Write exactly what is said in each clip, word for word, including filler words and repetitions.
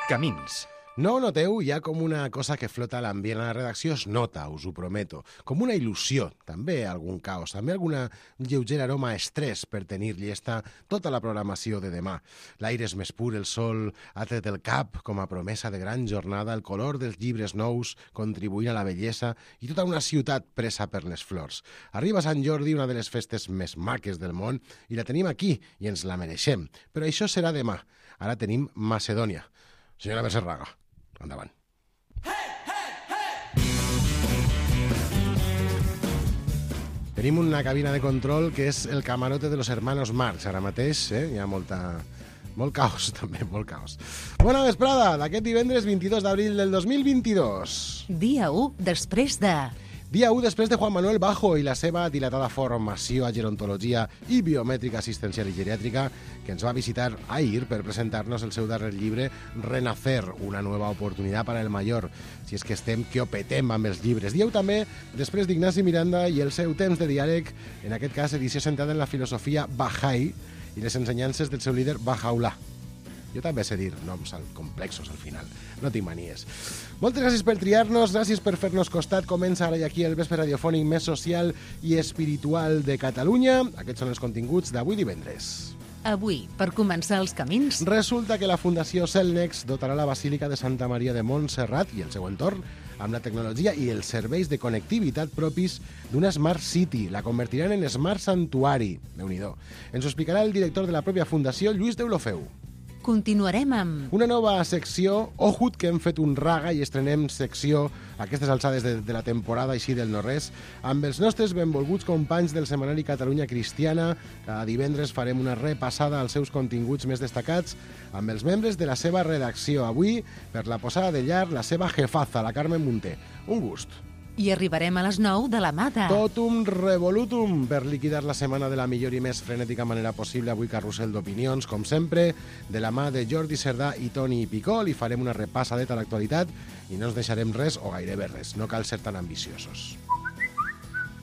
Camins. No ho noteu? Hi ha com una cosa que flota a l'ambient a la redacció, es nota, us ho prometo. Com una il·lusió, també algun caos, també alguna lleuger aroma a estrès per tenir llesta tota la programació de demà. L'aire és més pur, el sol ha tret el cap com a promesa de gran jornada, el color dels llibres nous contribuint a la bellesa i tota una ciutat presa per les flors. Arriba Sant Jordi, una de les festes més maques del món, i la tenim aquí i ens la mereixem. Però això serà demà. Ara tenim Macedònia. Senyora Becerraga, endavant. Tenim una cabina de control que és el camarote de los hermanos Marx. Ara mateix eh? hi ha molta... molt caos, també, molt caos. Bona vesprada, d'aquest divendres vint-i-dos d'abril del dos mil vint-i-dos. Dia u després de... Dia u després de Juan Manuel Bajo i la seva dilatada formació a gerontologia i biomètrica assistencial i geriàtrica, que ens va visitar ahir per presentar-nos el seu darrer llibre Renacer, una nova oportunitat per al Mayor. Si és que estem que ho petem amb els llibres. Dia u també després d'Ignasi Miranda i el seu temps de diàleg, en aquest cas edició centrada en la filosofia Bahá'í i les ensenyances del seu líder Bahá'u'lláh. Jo també sé dir noms complexos al final, no tinc manies. Moltes gràcies per triar-nos, gràcies per fer-nos costat. Comença ara i aquí el vespre radiofònic més social i espiritual de Catalunya. Aquests són els continguts d'avui divendres. Avui, per començar els camins... Resulta que la Fundació Celnex dotarà la Basílica de Santa Maria de Montserrat i el seu entorn amb la tecnologia i els serveis de connectivitat propis d'una Smart City. La convertiran en Smart Santuari. Déu-n'hi-do. Ens ho explicarà el director de la pròpia Fundació, Lluís Deulofeu. Continuarem amb... Una nova secció, Ojut, que hem fet un raga i estrenem secció a aquestes alçades de, de la temporada així del no-res, amb els nostres benvolguts companys del setmanari Catalunya Cristiana. Cada divendres farem una repassada als seus continguts més destacats amb els membres de la seva redacció. Avui, per la posada de llar, la seva jefaza, la Carmen Munté. Un gust. I arribarem a les nou de la mà de... Totum revolutum, per liquidar la setmana de la millor i més frenètica manera possible. Avui carrusel d'opinions, com sempre, de la mà de Jordi Cerdà i Toni Picó. Li farem una repassadeta a l'actualitat i no ens deixarem res, o gairebé res. No cal ser tan ambiciosos.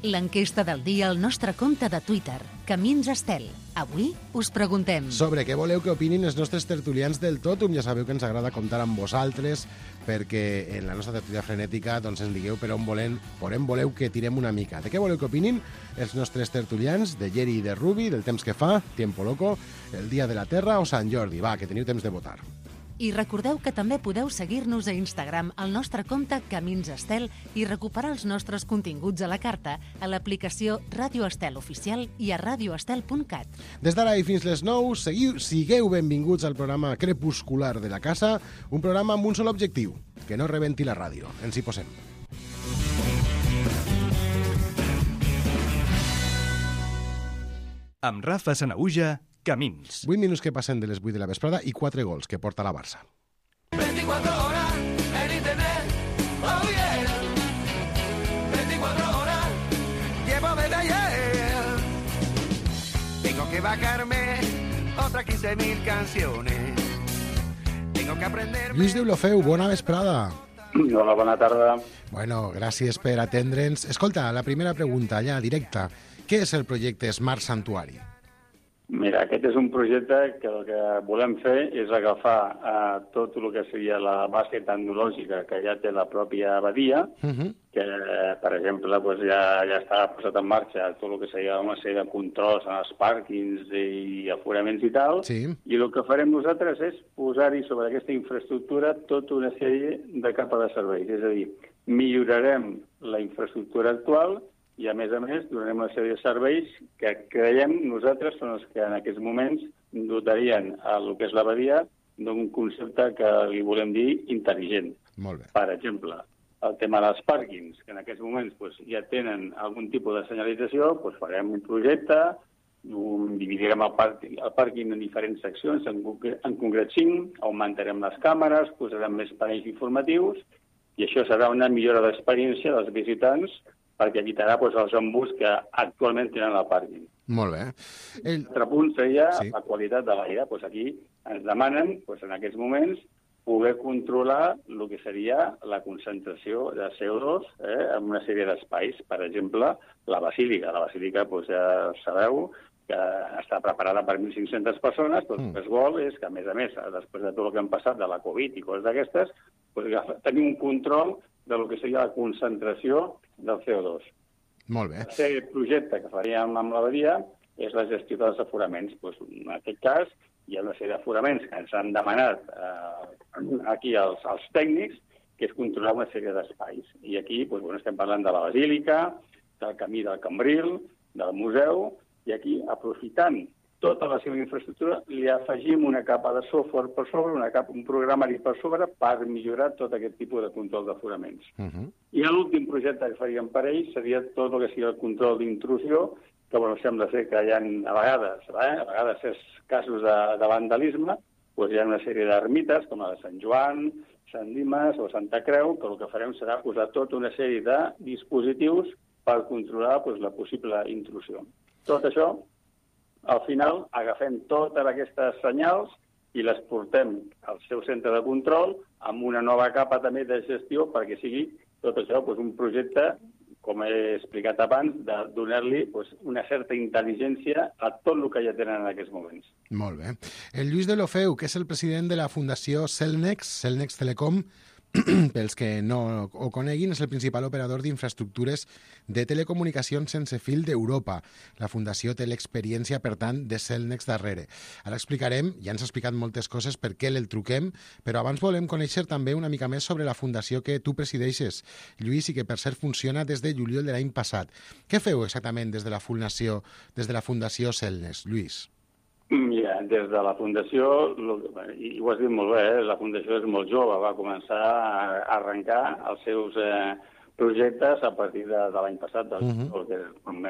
L'enquesta del dia al nostre compte de Twitter, Camins Estel. Avui us preguntem... Sobre què voleu que opinin els nostres tertulians del Totum. Ja sabeu que ens agrada comptar amb vosaltres, perquè en la nostra tertúlia frenètica doncs ens digueu per on, volen, per on voleu que tirem una mica. De què voleu que opinin els nostres tertulians, de Geri i de Rubi, del temps que fa, Tiempo Loco, el Dia de la Terra o Sant Jordi. Va, que teniu temps de votar. I recordeu que també podeu seguir-nos a Instagram al nostre compte Camins Estel i recuperar els nostres continguts a la carta a l'aplicació Ràdio Estel Oficial i a radioestel punt cat. Des d'ara i fins les nou, seguiu, sigueu benvinguts al programa crepuscular de la casa, un programa amb un sol objectiu, que no rebenti la ràdio. Ens hi posem. Amb Rafa Sanaüja, Camins. vuit minuts que passen de les vuit de la vesprada i quatre gols que porta la Barça. veinticuatro horas en internet, oh yeah. veinticuatro horas, llevo desde ayer. Tengo que bajarme otras quince mil canciones. Tengo que aprender... Lluís Deulofeu, bona vesprada. Hola, bona tarda. Bueno, gràcies per atendre'ns. Escolta, la primera pregunta, ja directa. Què és el projecte Smart Santuari? Mira, aquest és un projecte que el que volem fer és agafar eh, tot el que seria la base tecnològica que ja té la pròpia abadia, uh-huh. que, per exemple, doncs ja, ja està posat en marxa tot el que seria una sèrie de controls en els pàrquings i aforaments i tal, sí. I el que farem nosaltres és posar-hi sobre aquesta infraestructura tota una sèrie de capa de serveis. És a dir, millorarem la infraestructura actual i, a més a més, donarem una sèrie de serveis que creiem nosaltres són els que en aquests moments dotarien a el que és l'abadia d'un concepte que li volem dir intel·ligent. Molt bé. Per exemple, el tema dels pàrquings, que en aquests moments doncs, ja tenen algun tipus de senyalització, doncs farem un projecte, un, dividirem el pàrquing, el pàrquing en diferents seccions, en, en concret cinc, augmentarem les càmeres, posarem més panells informatius, i això serà una millora d'experiència dels visitants perquè evitarà doncs, els embuts que actualment tenen al pàrquing. Molt bé. El altre punt seria sí. la qualitat de l'aire. Doncs aquí ens demanen, doncs, en aquests moments, poder controlar el que seria la concentració de C O dos eh, en una sèrie d'espais. Per exemple, la basílica. La basílica, doncs, ja sabeu, que està preparada per mil cinc-centes persones, però el que es vol és que, a més a més, després de tot el que han passat de la Covid i coses d'aquestes, doncs, tenir un control del que seria la concentració del C O dos. Molt bé. El tercer projecte que faríem amb l'abadia és la gestió dels aforaments. Doncs, en aquest cas, hi ha una sèrie d'aforaments que ens han demanat eh, aquí els, els tècnics, que és controlar una sèrie d'espais. I aquí doncs, bueno, estem parlant de la Basílica, del camí del Cambril, del museu, i aquí, aprofitant tota la seva infraestructura, li afegim una capa de software per sobre, una capa, un programari per sobre, per millorar tot aquest tipus de control d'aforaments. Uh-huh. I l'últim projecte que faríem per ells seria tot el que sigui el control d'intrusió, que bueno, sembla ser que hi ha, a vegades, eh, a vegades és casos de, de vandalisme, doncs hi ha una sèrie d'ermites, com la de Sant Joan, Sant Dimes o Santa Creu, que el que farem serà posar tota una sèrie de dispositius per controlar doncs, la possible intrusió. Tot això, al final, agafem totes aquestes senyals i les portem al seu centre de control amb una nova capa també de gestió perquè sigui tot això doncs, un projecte, com he explicat abans, de donar-li doncs, una certa intel·ligència a tot el que ja tenen en aquests moments. Molt bé. El Lluís de l'Ofeu, que és el president de la Fundació Cellnex, Cellnex Telecom, pels que no ho coneguin, és el principal operador d'infraestructures de telecomunicacions sense fil d'Europa. La Fundació té l'experiència, per tant, de Cellnex darrere. Ara explicarem, ja ens ha explicat moltes coses per què el truquem, però abans volem conèixer també una mica més sobre la fundació que tu presideixes, Lluís, i que per cert funciona des de juliol de l'any passat. Què feu exactament des de la Fundació, des de la Fundació Cellnex, Lluís? Mira, des de la Fundació, i ho has dit molt bé, eh? La Fundació és molt jove, va començar a arrencar els seus eh, projectes a partir de, de l'any passat, del, uh-huh. que vam,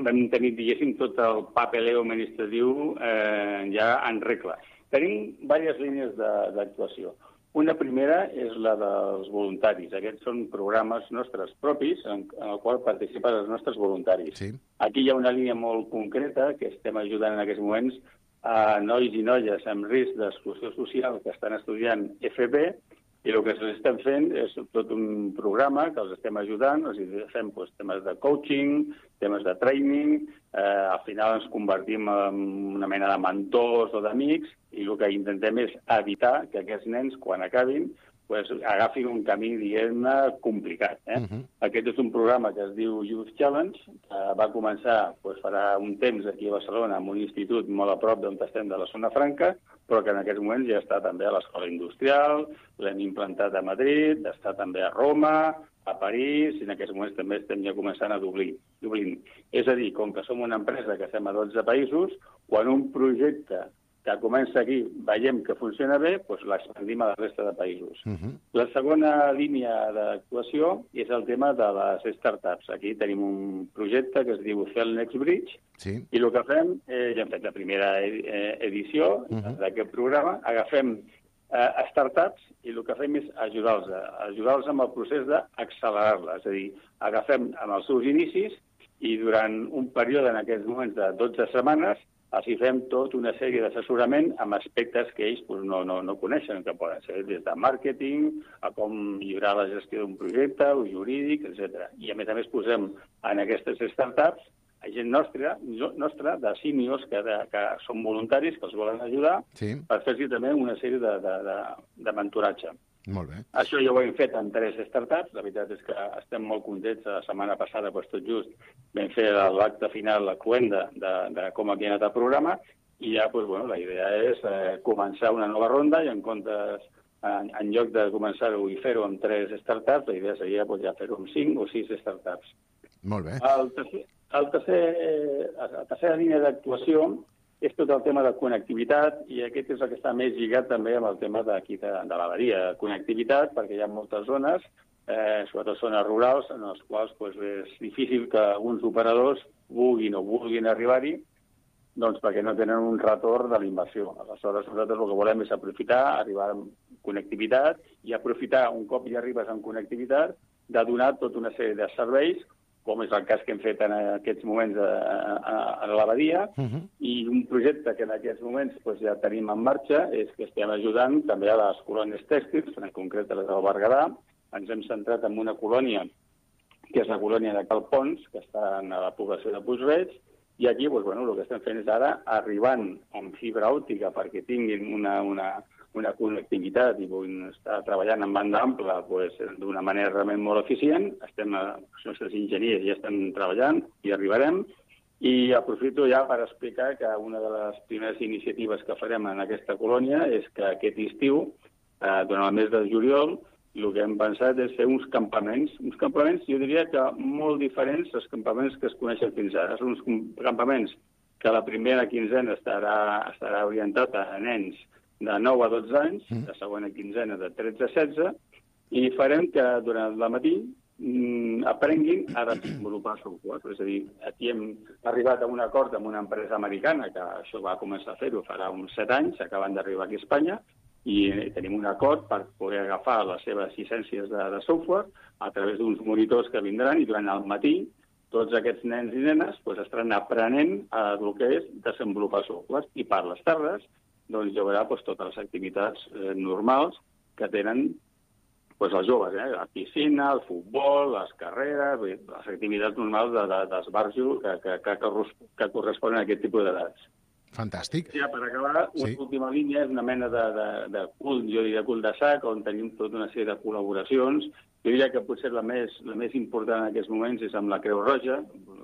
vam tenir, diguéssim, tot el papeleo administratiu eh, ja en regla. Tenim diverses línies d'actuació. Una primera és la dels voluntaris. Aquests són programes nostres propis en, en el qual participen els nostres voluntaris. Sí. Aquí hi ha una línia molt concreta que estem ajudant en aquests moments a nois i noies amb risc d'exclusió social que estan estudiant F P i el que els estem fent és tot un programa que els estem ajudant, els fem doncs, temes de coaching, temes de training, eh, al final ens convertim en una mena de mentors o d'amics i el que intentem és evitar que aquests nens, quan acabin, pues, agafin un camí, diguem-ne, complicat. Eh? Uh-huh. Aquest és un programa que es diu Youth Challenge, que va començar pues, farà un temps aquí a Barcelona amb un institut molt a prop d'on estem de la Zona Franca, però que en aquests moments ja està també a l'Escola Industrial, l'hem implantat a Madrid, està també a Roma, a París, i en aquests moments també estem ja començant a Dublín. Dublín. És a dir, com que som una empresa que estem a dotze països, quan un projecte que comença aquí veiem que funciona bé, doncs l'expandim a la resta de països. Uh-huh. La segona línia d'actuació és el tema de les startups. Aquí tenim un projecte que es diu Cellnex Bridge, sí. I el que fem, eh, ja hem fet la primera edició uh-huh. d'aquest programa, agafem eh, startups i el que fem és ajudar-los, ajudar-los amb el procés d'accelerar-les. És a dir, agafem amb els seus inicis i durant un període, en aquests moments de dotze setmanes, així fem tota una sèrie d'assessorament amb aspectes que ells pues, no, no, no coneixen, que poden ser des de màrqueting, a com millorar la gestió d'un projecte, o jurídic, etcètera. I a més a més posem en aquestes startups a gent nostra, nostra de seniors que, de, que són voluntaris, que els volen ajudar, sí. Per fer-hi també una sèrie de, de, de, de mentoratge. Molt bé. Això ja ho hem fet en tres startups. La veritat és que estem molt contents. La setmana passada, doncs, tot just, vam fer l'acte final, la cloenda de, de com havia anat el programa, i ja, doncs, bueno, la idea és eh, començar una nova ronda i en comptes, en, en lloc de començar-ho i fer-ho amb tres startups, la idea seria doncs, ja fer-ho amb cinc o sis startups. Molt bé. El tercer, el tercer, la tercera línia d'actuació és tot el tema de connectivitat, i aquest és el que està més lligat també amb el tema d'aquí de, de l'abadia. Connectivitat, perquè hi ha moltes zones, eh, sobretot zones rurals, en les quals pues, és difícil que alguns operadors vulguin o vulguin arribar-hi, doncs perquè no tenen un retorn de la inversió. Aleshores, nosaltres el que volem és aprofitar, arribar amb connectivitat, i aprofitar, un cop ja arribes amb connectivitat, de donar tota una sèrie de serveis, com és el cas que hem fet en aquests moments a, a, a l'abadia, uh-huh. I un projecte que en aquests moments pues, ja tenim en marxa és que estem ajudant també a les colònies tèxtils, en concret a les del Berguedà. Ens hem centrat en una colònia, que és la colònia de Cal Pons, que està a la població de Puig-reig, I aquí, doncs, bueno, el que estem fent és ara arribant amb fibra òptica perquè tinguin una, una, una connectivitat i puguin estar treballant en banda ampla doncs, d'una manera realment molt eficient. Estem, els nostres enginyers ja estan treballant i arribarem. I aprofito ja per explicar que una de les primeres iniciatives que farem en aquesta colònia és que aquest estiu, eh, durant el mes de juliol, el que hem pensat és fer uns campaments, uns campaments, jo diria que molt diferents dels campaments que es coneixen fins ara. Són uns campaments que la primera quinzena estarà, estarà orientat a nens de nou a dotze anys, la segona quinzena de tretze a setze, i farem que durant el matí aprenguin a desenvolupar software. És a dir, aquí hem arribat a un acord amb una empresa americana que això va començar a fer-ho farà uns set anys, acaben d'arribar aquí a Espanya, i tenim un acord per poder agafar les seves llicències de, de software a través d'uns monitors que vindran i durant el matí tots aquests nens i nenes pues, estaran aprenent a el que és desenvolupar software. I per les tardes doncs, hi haurà pues, totes les activitats eh, normals que tenen pues els joves, eh? La piscina, el futbol, les carreres, les activitats normals de, de, d'esbarjo que, que, que, que corresponen a aquest tipus d'edats. Fantàstic. Ja, per acabar, una sí. última línia és una mena de, de, de cul, jo diria cul de sac, on tenim tota una sèrie de col·laboracions. Jo diria que potser la més, la més important en aquests moments és amb la Creu Roja.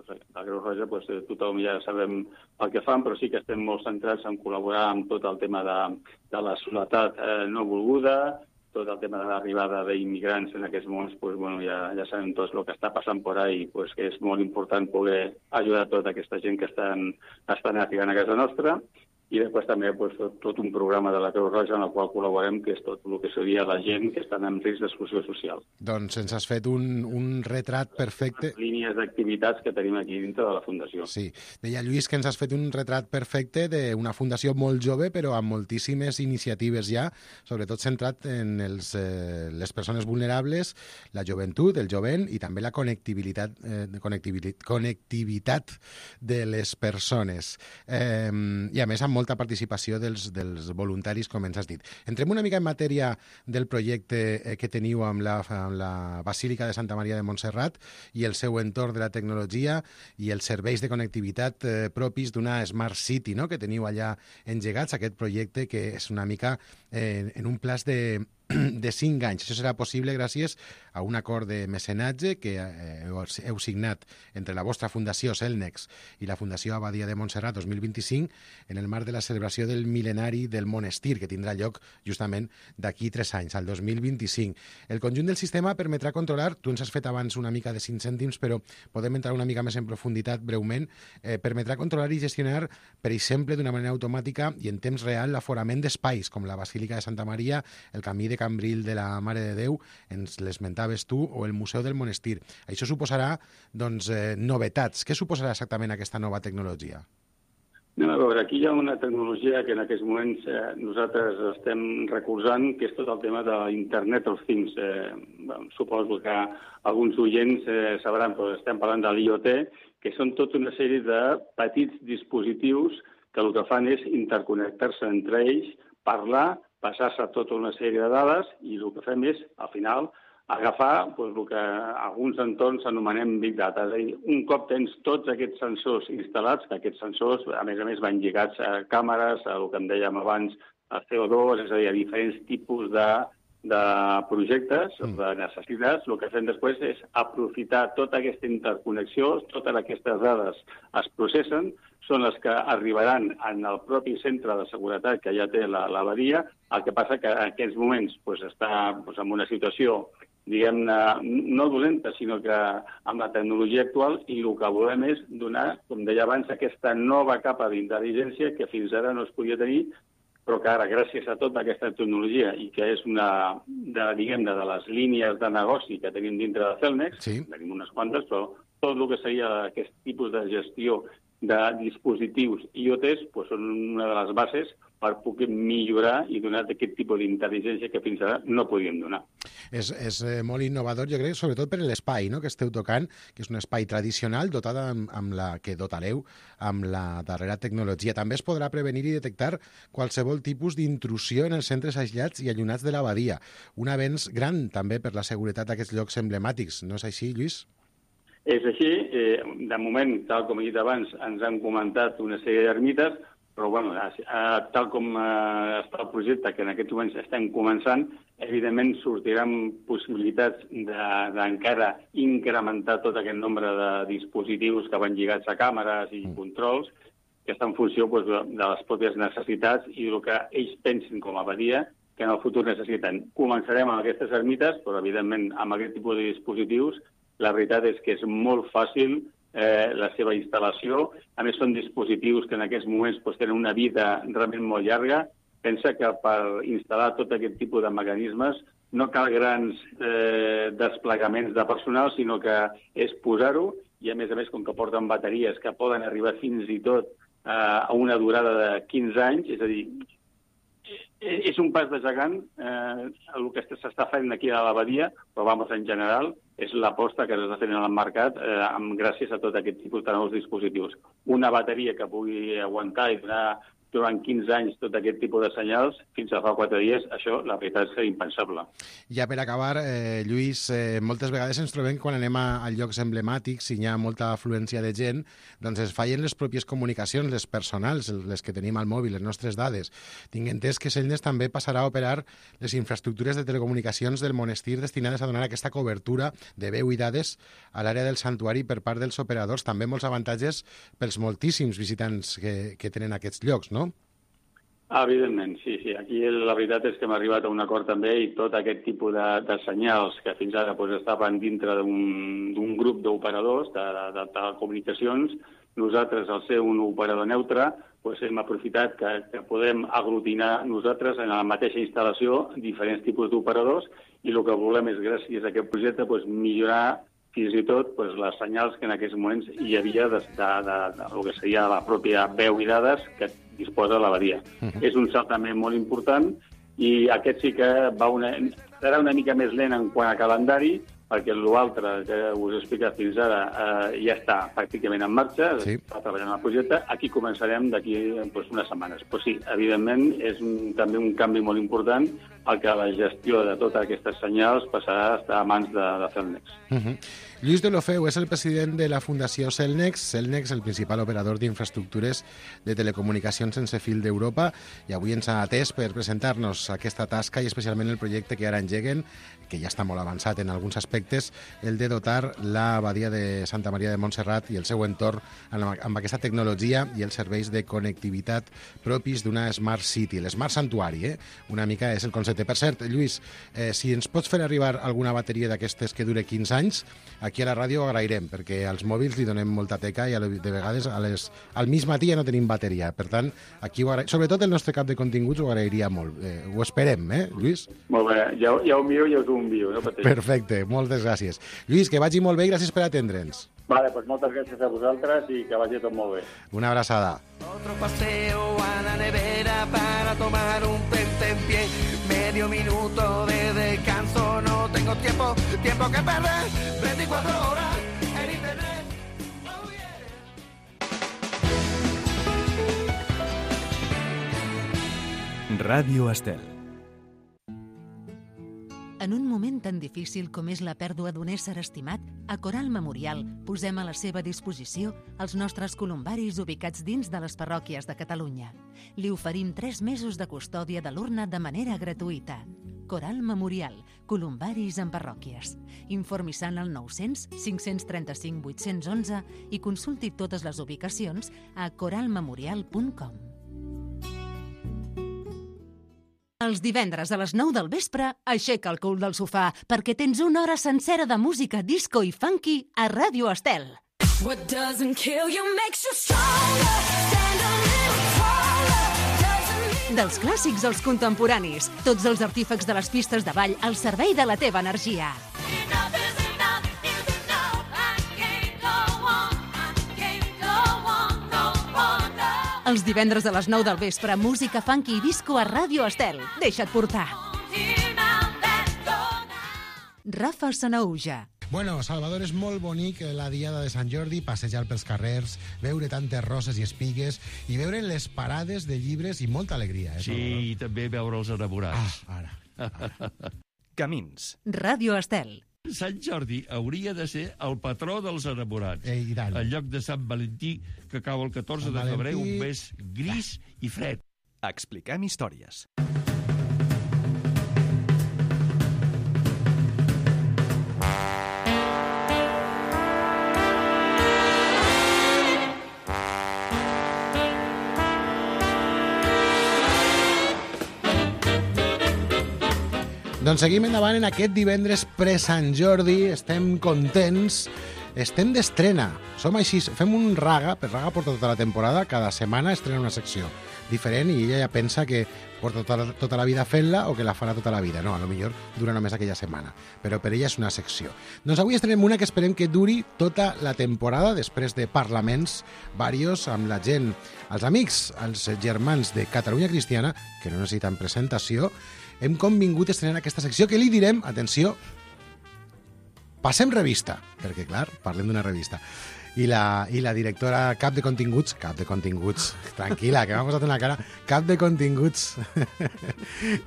La Creu Roja, pues, tothom ja sabem el que fan, però sí que estem molt centrats en col·laborar amb tot el tema de, de la soledat eh, no volguda, tot el tema de l'arribada d'immigrants en aquests moments, pues, bueno, ja, ja sabem tots el que està passant per ahí, pues, que és molt important poder ajudar tota aquesta gent que estan, estan arribant a casa nostra. I després també pues, tot un programa de la Creu Roja en el qual col·laborem, que és tot el que seria la gent que estan en risc d'exclusió social. Doncs ens has fet un, un retrat perfecte. Les línies d'activitats que tenim aquí dintre de la Fundació. Sí. Deia Lluís que ens has fet un retrat perfecte d'una fundació molt jove, però amb moltíssimes iniciatives ja, sobretot centrat en els, eh, les persones vulnerables, la joventut, el jovent i també la connectivitat, eh, connectivitat, connectivitat de les persones. Eh, I a més amb molta participació dels, dels voluntaris, com ens has dit. Entrem una mica en matèria del projecte que teniu amb la, amb la Basílica de Santa Maria de Montserrat i el seu entorn de la tecnologia i els serveis de connectivitat eh, propis d'una Smart City, no?, que teniu allà engegats, aquest projecte que és una mica eh, en un plaç de de cinc anys. Això serà possible gràcies a un acord de mecenatge que eh, heu signat entre la vostra Fundació Celnex i la Fundació Abadia de Montserrat dos mil vint-i-cinc en el marc de la celebració del mil·lenari del monestir, que tindrà lloc justament d'aquí tres anys, al dos mil vint-i-cinc. El conjunt del sistema permetrà controlar, tu ens has fet abans una mica de cinc cèntims, però podem entrar una mica més en profunditat breument, eh, permetrà controlar i gestionar, per exemple, d'una manera automàtica i en temps real l'aforament d'espais, com la Basílica de Santa Maria, el Camí de Cambril de la Mare de Déu, ens l'esmentaves tu, o el Museu del Monestir. Això suposarà doncs, eh, novetats. Què suposarà exactament aquesta nova tecnologia? No, a veure, aquí hi ha una tecnologia que en aquests moments eh, nosaltres estem recolzant, que és tot el tema de l'Internet of Things. Eh, bueno, suposo que alguns oients eh, sabran, però estem parlant de l'I O T, que són tota una sèrie de petits dispositius que el que fan és interconnectar-se entre ells, parlar, passar-se tota una sèrie de dades i el que fem és, al final, agafar doncs, el que alguns entorns anomenem Big Data. És a dir, un cop tens tots aquests sensors instal·lats, que aquests sensors, a més a més, van lligats a càmeres, a el que en dèiem abans, a C O dos, és a dir, a diferents tipus de, de projectes, mm. de necessitats, el que fem després és aprofitar tota aquesta interconnexió, totes aquestes dades es processen, són les que arribaran en el propi centre de seguretat que ja té l'abadia. El que passa que en aquests moments pues, està pues, en una situació, diguem-ne, no dolenta, sinó que amb la tecnologia actual i el que volem és donar, com deia abans, aquesta nova capa d'intel·ligència que fins ara no es podia tenir, però que ara, gràcies a tota aquesta tecnologia i que és una, de, diguem-ne, de les línies de negoci que tenim dintre de Celnex, sí. Tenim unes quantes, però tot el que seria aquest tipus de gestió de dispositius I O Ts pues, són una de les bases per poder millorar i donar aquest tipus d'intel·ligència que fins ara no podíem donar. És, és molt innovador, jo crec, sobretot per l'espai, no?, que esteu tocant, que és un espai tradicional dotat amb, amb la que dotareu amb la darrera tecnologia. També es podrà prevenir i detectar qualsevol tipus d'intrusió en els centres aïllats i allunyats de l'abadia. Un avenç gran també per la seguretat d'aquests llocs emblemàtics, no és així, Lluís? És així, eh, de moment, tal com he dit abans, ens han comentat una sèrie d'ermites, però bueno, eh, tal com eh, està el projecte, que en aquests moments estem començant, evidentment sortiran possibilitats d'encara incrementar tot aquest nombre de dispositius que van lligats a càmeres i controls, que està en funció doncs, de les pròpies necessitats i del que ells pensin com a abadia que en el futur necessiten. Començarem amb aquestes ermites, però evidentment amb aquest tipus de dispositius la veritat és que és molt fàcil eh, la seva instal·lació. A més, són dispositius que en aquests moments doncs, tenen una vida realment molt llarga. Pensa que per instal·lar tot aquest tipus de mecanismes no cal grans eh, desplegaments de personal, sinó que és posar-ho i, a més a més, com que porten bateries que poden arribar fins i tot eh, a una durada de quinze anys, és a dir, és un pas de gegant eh, el que s'està fent aquí a l'abadia, però vamos, en general, és l'aposta que s'està fent en el mercat eh, amb, gràcies a tot aquest tipus de nous dispositius. Una bateria que pugui aguantar i donar durant quinze anys tot aquest tipus de senyals, fins a fa quatre dies, això la veritat és que és impensable. Ja per acabar, eh, Lluís, eh, moltes vegades ens trobem quan anem a, a llocs emblemàtics i hi ha molta afluència de gent, doncs es fallen les pròpies comunicacions, les personals, les que tenim al mòbil, les nostres dades. Tinc entès que Cellnex també passarà a operar les infraestructures de telecomunicacions del monestir destinades a donar aquesta cobertura de veu i dades a l'àrea del santuari per part dels operadors. També molts avantatges pels moltíssims visitants que, que tenen aquests llocs, no? Ah, evidentment, sí, sí. Aquí la veritat és que hem arribat a un acord també i tot aquest tipus de, de senyals que fins ara doncs, estaven dintre d'un grup d'operadors de, de, de telecomunicacions, nosaltres, al ser un operador neutre, doncs, hem aprofitat que, que podem aglutinar nosaltres en la mateixa instal·lació diferents tipus d'operadors i el que volem és, gràcies a aquest projecte, doncs, millorar fins i tot doncs, les senyals que en aquests moments hi havia de, de, de, de, de que seria la pròpia veu i dades que disposa l'abadia. Uh -huh. És un salt també molt important i aquest sí que va una, serà una mica més lent en quant a calendari, perquè l'altre que us he explicat fins ara eh, ja està pràcticament en marxa, sí. Està treballant el projecte. Aquí començarem d'aquí doncs, unes setmanes. Però sí, evidentment, és un, també un canvi molt important el que la gestió de totes aquestes senyals passarà a estar a mans de, de Cellnex. Uh -huh. Lluís Deulofeu és el president de la Fundació Cellnex. Cellnex, el principal operador d'infraestructures de telecomunicacions sense fil d'Europa, i avui ens ha atès per presentar-nos aquesta tasca i especialment el projecte que ara engeguen, que ja està molt avançat en alguns aspectes, el de dotar l'abadia de Santa Maria de Montserrat i el seu entorn amb aquesta tecnologia i els serveis de connectivitat propis d'una Smart City, l'Smart Santuari, eh? Una mica és el concepte. Per cert, Lluís, eh, si ens pots fer arribar alguna bateria d'aquestes que dure quinze anys, aquí a la ràdio ho agrairem, perquè als mòbils li donem molta teca i de vegades a les, al mig matí ja no tenim bateria. Per tant, aquí ho agrairem. Sobretot el nostre cap de continguts ho agrairia molt. Eh, ho esperem, eh, Lluís? Molt bé, ja, ja ho miro i us ho envio. No pateixo. Perfecte, moltes gràcies. Lluís, que vagi molt bé i gràcies per atendre'ns. Vale, pues moltes gràcies a vosaltres i que vagi tot molt bé. Una abraçada. Otro paseo a la nevera para tomar un tentempié. Medio minuto de descanso, no tengo tiempo, tiempo que perder. veinticuatro horas en internet. Oh, yeah. Ràdio Estel. En un moment tan difícil com és la pèrdua d'un ésser estimat, a Coral Memorial posem a la seva disposició els nostres columbaris ubicats dins de les parròquies de Catalunya. Li oferim tres mesos de custòdia de l'urna de manera gratuïta. Coral Memorial, columbaris en parròquies. Informi-se al nou-cents cinc-cents trenta-cinc vuit-cents onze i consulti totes les ubicacions a coral memorial punt com. Els divendres a les nou del vespre, aixeca el cul del sofà perquè tens una hora sencera de música disco i funky a Ràdio Estel. What doesn't kill you makes you stronger. Stand a little taller. Dels clàssics als contemporanis, tots els artífecs de les pistes de ball al servei de la teva energia. Els divendres a les nou del vespre, música funky i disco a Ràdio Estel. Deixa't portar. Rafa Sanahuja. Bueno, Salvador, és molt bonic la diada de Sant Jordi, passejar pels carrers, veure tantes roses i espigues i veure les parades de llibres i molta alegria. Eh, sí, i també veure els enamorats. Ah, ara. ara. Camins. Ràdio Estel. Sant Jordi hauria de ser el patró dels enamorats. Ei, i tant. En lloc de Sant Valentí, que cau el catorze de febrer, un mes gris i fred. Expliquem històries. Doncs seguim endavant en aquest divendres pre-Sant Jordi, estem contents, estem d'estrena. Som així, fem un Raga, per Raga porta tota la temporada, cada setmana estrena una secció diferent i ella ja pensa que porta tota, tota la vida fent-la o que la farà tota la vida. No, a lo millor dura només aquella setmana, però per ella és una secció. Doncs avui estrenem una que esperem que duri tota la temporada, després de parlaments varios amb la gent, els amics, els germans de Catalunya Cristiana, que no necessiten presentació. Hem convingut a estrenar aquesta secció que li direm, atenció, passem revista, perquè, clar, parlem d'una revista. I la, i la directora cap de continguts, cap de continguts, tranquil·la, que m'ha posat en la cara, cap de continguts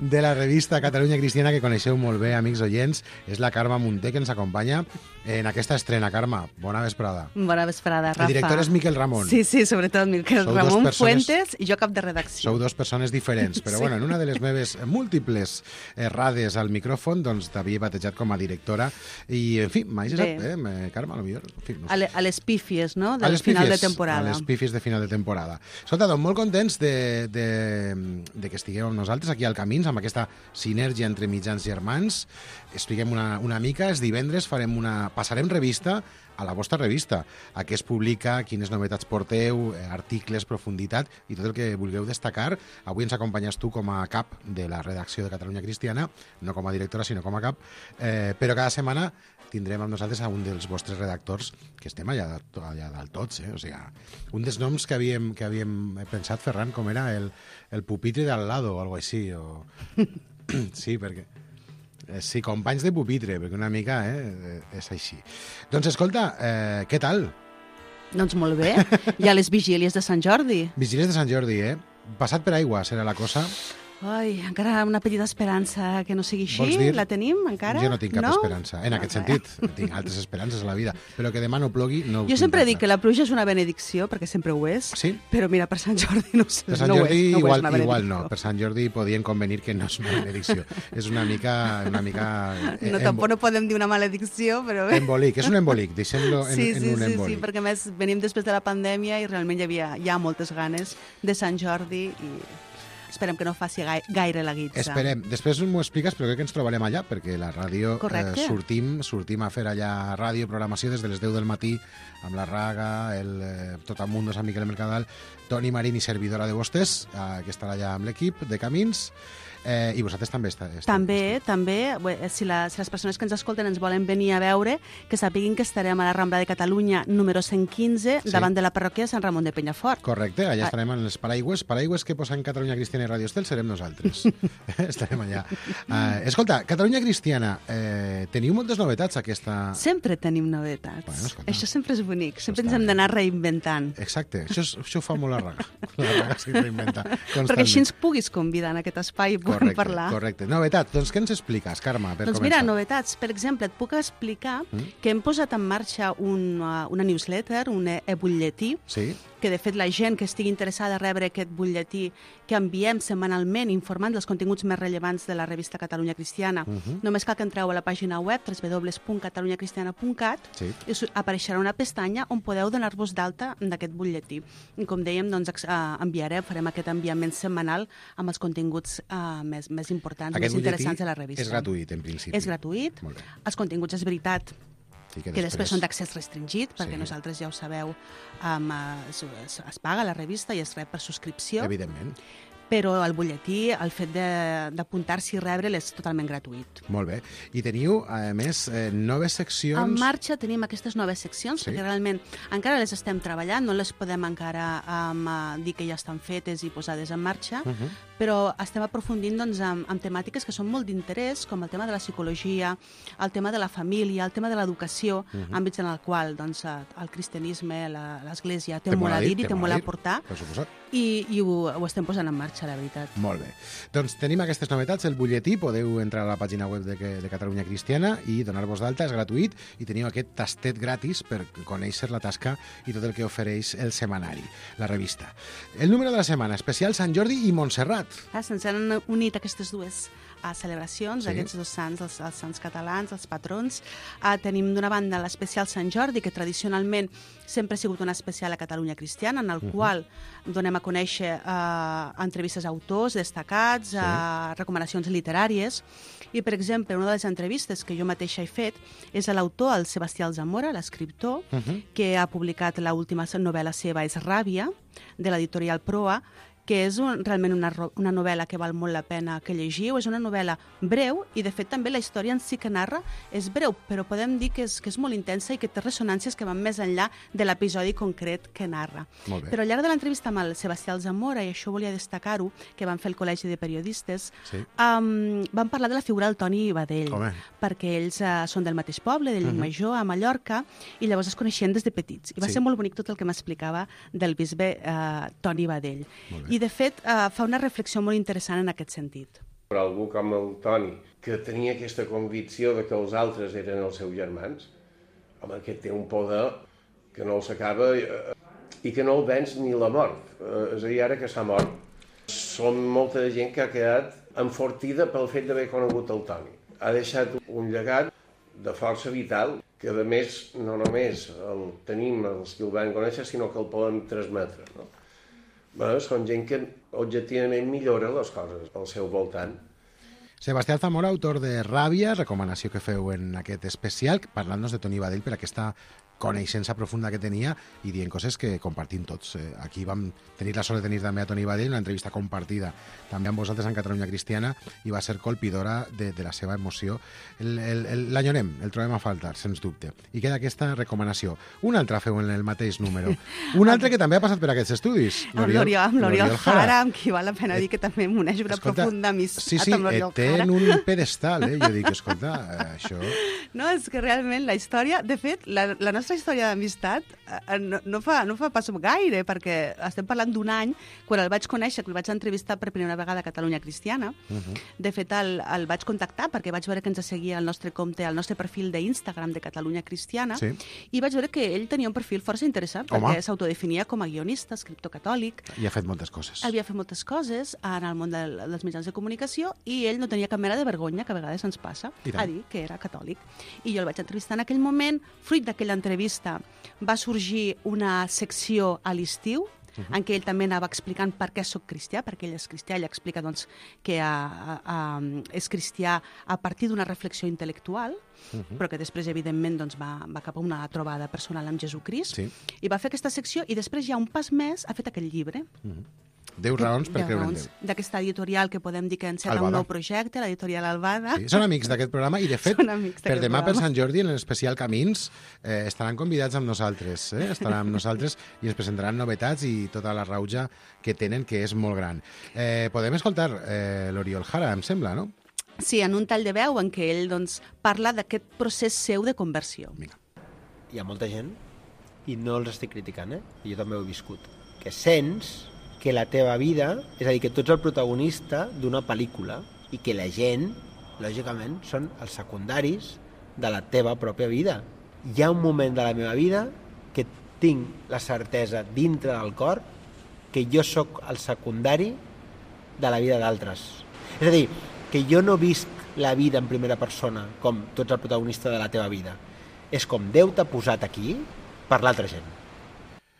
de la revista Catalunya Cristiana, que coneixeu molt bé, amics oients, és la Carme Munté, que ens acompanya en aquesta estrena. Carme, bona vesprada. Bona vesprada, Rafa. El director és Miquel Ramon. Sí, sí, sobretot Miquel Sou Ramon persones... Fuentes i jo cap de redacció. Sou dos persones diferents, però Sí. bueno, en una de les meves múltiples errades al micròfon, doncs t'havia batejat com a directora i, en fi, m'has Bé. eh, eh, Carme, a lo millor... En fi, no sé. A, le, a les pífies, no?, A del les final de pífies, temporada. A les pífies de final de temporada. Escolta, doncs molt contents de, de, de que estigueu amb nosaltres aquí al Camins, amb aquesta sinergia entre mitjans germans. Expliquem una, una mica. Els divendres farem una, passarem revista a la vostra revista, a què es publica, quines novetats porteu, articles, profunditat i tot el que vulgueu destacar. Avui ens acompanyes tu com a cap de la redacció de Catalunya Cristiana, no com a directora, sinó com a cap, eh, però cada setmana tindrem amb nosaltres a un dels vostres redactors, que estem allà, allà dalt tots, eh? O sigui, un dels noms que havíem, que havíem pensat, Ferran, com era el, el pupitre de al lado o alguna cosa així, o... sí, perquè... Sí, companys de pupitre, perquè una mica eh, és així. Doncs escolta, eh, què tal? Doncs molt bé. Hi ha les vigílies de Sant Jordi. Vigílies de Sant Jordi, eh? Passat per aigua serà la cosa. Ai, encara una petita esperança que no sigui així. Vols dir? La tenim, encara? Jo no tinc cap no? esperança. En No, aquest no. sentit, tinc altres esperances a la vida. Però que demà no plogui, no ho Jo tinc sempre tan dic que clar. la pluja és una benedicció, perquè sempre ho és, Sí? però mira, per Sant Jordi no, ho sé, Per Sant no Jordi ho és, no ho és igual, una igual benedicció. no. Per Sant Jordi podien convenir que no és una benedicció. És una mica... Una mica eh, No, tampoc no podem dir una maledicció, però bé. Embolic, és un embolic, deixem-lo en, Sí, en sí, un sí, embolic. sí, perquè a més venim després de la pandèmia i realment hi havia ja moltes ganes de Sant Jordi i esperem que no faci gai gaire la guitza. Esperem. Després m'ho expliques, però crec que ens trobarem allà, perquè la ràdio eh, Correcte. sortim, sortim a fer allà ràdio, programació des de les deu del matí, amb la Raga, el eh, Tot el Mundo, Sant Miquel de Mercadal, Toni Marín i servidora de vostès, eh, que estarà allà amb l'equip de Camins, eh, i vosaltres també està, esteu. També, també, bé, si, la, si les persones que ens escolten ens volen venir a veure, que sàpiguin que estarem a la Rambla de Catalunya número cent quinze, Sí. davant de la parròquia de Sant Ramon de Penyafort. Correcte, allà Ah. estarem en els paraigües. Paraigües que posen Catalunya Cristiana i Radio Estel serem nosaltres. estarem allà. Uh, escolta, Catalunya Cristiana, eh, teniu moltes novetats aquesta... Sempre tenim novetats. Bueno, escolta. Això sempre és bonic, sempre està ens hem bé. d'anar reinventant. Exacte, això, és, això ho fa molt la Raga. La Raga s'hi reinventa constantment. Perquè així ens puguis convidar en aquest espai i puguem Correcte, parlar. correcte. Novetats, doncs què ens expliques, Carme, per Doncs començar? mira, novetats. Per exemple, et puc explicar Mm. que hem posat en marxa una, una newsletter, un e-butlletí, Sí? que de fet la gent que estigui interessada a rebre aquest butlletí que enviem setmanalment informant dels continguts més rellevants de la revista Catalunya Cristiana, Mhm. només cal que entreu a la pàgina web w w w punt catalunya cristiana punt cat Sí. i us apareixerà una pestanya on podeu donar-vos d'alta d'aquest butlletí. I com dèiem, doncs, ex- eh, enviarem, farem aquest enviament setmanal amb els continguts eh, més, més importants, Aquest més butlletí interessants de la revista. és gratuït, en principi. És gratuït. Molt bé. Els continguts, és veritat, Sí, que després són d'accés restringit, perquè Sí. nosaltres, ja ho sabeu, um, es, es, es paga la revista i es rep per subscripció, Evidentment. però el butlletí, el fet de- d'apuntar-s'hi i rebre'l és totalment gratuït. Molt bé. I teniu, a més, eh, noves seccions... En marxa tenim aquestes noves seccions, Sí. perquè realment encara les estem treballant, no les podem encara um, uh, dir que ja estan fetes i posades en marxa, Uh -huh. però estem aprofundint doncs, en, en temàtiques que són molt d'interès, com el tema de la psicologia, el tema de la família, el tema de l'educació, Mhm. àmbits en el qual doncs, eh, el cristianisme, la- l'Església té, Té molt a dir i té molt a dir, portar. Per suposat. i, i ho, ho estem posant en marxa, la veritat. Molt bé. Doncs tenim aquestes novetats, el butlletí, podeu entrar a la pàgina web de, de Catalunya Cristiana i donar-vos d'alta, és gratuït, i teniu aquest tastet gratis per conèixer la tasca i tot el que ofereix el setmanari, la revista. El número de la setmana, especial Sant Jordi i Montserrat. Ah, se'ns han unit aquestes dues a celebracions, Sí. aquests dos sants, els, els sants catalans, els patrons. Uh, tenim d'una banda l'especial Sant Jordi, que tradicionalment sempre ha sigut un especial a Catalunya Cristiana, en el uh-huh. qual donem a conèixer uh, entrevistes a autors destacats, sí. uh, recomanacions literàries. I, per exemple, una de les entrevistes que jo mateixa he fet és a l'autor, el Sebastià Alzamora, l'escriptor, uh-huh. que ha publicat l'última novel·la seva, és Ràbia, de l'editorial Proa, que és un, realment una, una novel·la que val molt la pena que llegiu. És una novel·la breu i, de fet, també la història en si que narra és breu, però podem dir que és, que és molt intensa i que té ressonàncies que van més enllà de l'episodi concret que narra. Però al llarg de l'entrevista amb el Sebastià Alzamora, i això volia destacar-ho, que van fer el Col·legi de Periodistes, sí. um, van parlar de la figura del Toni Badell, Home. perquè ells uh, són del mateix poble, de Llucmajor, uh-huh. a Mallorca, i llavors es coneixien des de petits. I va sí. ser molt bonic tot el que m'explicava del bisbe uh, Toni Badell. I, de fet, uh, fa una reflexió molt interessant en aquest sentit. Per algú com el Toni, que tenia aquesta convicció de que els altres eren els seus germans, home, que té un poder que no el s'acaba eh, i que no el venç ni la mort. Eh, és a dir, ara que s'ha mort, som molta gent que ha quedat enfortida pel fet d'haver conegut el Toni. Ha deixat un llegat de força vital que, a més, no només el tenim els que el van conèixer, sinó que el poden transmetre, no? Bé, són gent que objectivament millora les coses al seu voltant. Sebastià Zamora, autor de Ràbia, recomanació que feu en aquest especial, parlant-nos de Toni Badell per aquesta coneixença profunda que tenia i dient coses que compartim tots. Aquí vam tenir la sort de tenir també a Toni Badell, una entrevista compartida també amb vosaltres en Catalunya Cristiana, i va ser colpidora de, de la seva emoció. L'enyorem, el trobem a faltar, sens dubte. I queda aquesta recomanació. Una altra feu en el mateix número. Un altre que també ha passat per aquests estudis. Amb l'Oriol Jara, amb qui val la pena dir que també m'uneix una escolta, profunda amistat sí, sí, amb l'Oriol Jara. Sí, sí, té un pedestal, eh? Jo dic, escolta, això... No, és que realment la història, de fet, la, la nostra història d'amistat eh, no, no, fa, no fa pas gaire, perquè estem parlant d'un any, quan el vaig conèixer, que el vaig entrevistar per primera vegada a Catalunya Cristiana. Uh-huh. De fet, el, el vaig contactar perquè vaig veure que ens seguia el nostre compte, el nostre perfil d'Instagram de Catalunya Cristiana, sí. i vaig veure que ell tenia un perfil força interessant, Home. perquè s'autodefinia com a guionista, escriptor catòlic. I ha fet moltes coses. Havia fet moltes coses en el món de, dels mitjans de comunicació, i ell no tenia cap mena de vergonya, que a vegades ens passa, a dir que era catòlic. I jo el vaig entrevistar en aquell moment. Fruit d'aquella entrevista va sorgir una secció a l'estiu, uh-huh. en què ell també anava explicant per què soc cristià, perquè ell és cristià, ell explica doncs, que a, a, a, és cristià a partir d'una reflexió intel·lectual, uh-huh. però que després, evidentment, doncs, va, va cap a una trobada personal amb Jesucrist, sí. i va fer aquesta secció, i després, ja un pas més, ha fet aquest llibre. Uh-huh. Deu raons per creure en Déu. D'aquesta editorial que podem dir que enceta un nou projecte, l'editorial Albada. Sí, són amics d'aquest programa i, de fet, per demà, per Sant Jordi, en l'especial Camins, eh, estaran convidats amb nosaltres. Eh? Estaran amb nosaltres i ens presentaran novetats i tota la rauja que tenen, que és molt gran. Eh, podem escoltar eh, l'Oriol Jara, em sembla, no? Sí, en un tall de veu en què ell doncs, parla d'aquest procés seu de conversió. Vinga. Hi ha molta gent, i no els estic criticant, eh? I jo també ho he viscut, que sents que la teva vida, és a dir, que tu ets el protagonista d'una pel·lícula i que la gent, lògicament, són els secundaris de la teva pròpia vida. Hi ha un moment de la meva vida que tinc la certesa dintre del cor que jo sóc el secundari de la vida d'altres. És a dir, que jo no visc la vida en primera persona com tu ets el protagonista de la teva vida. És com Déu t'ha posat aquí per l'altra gent.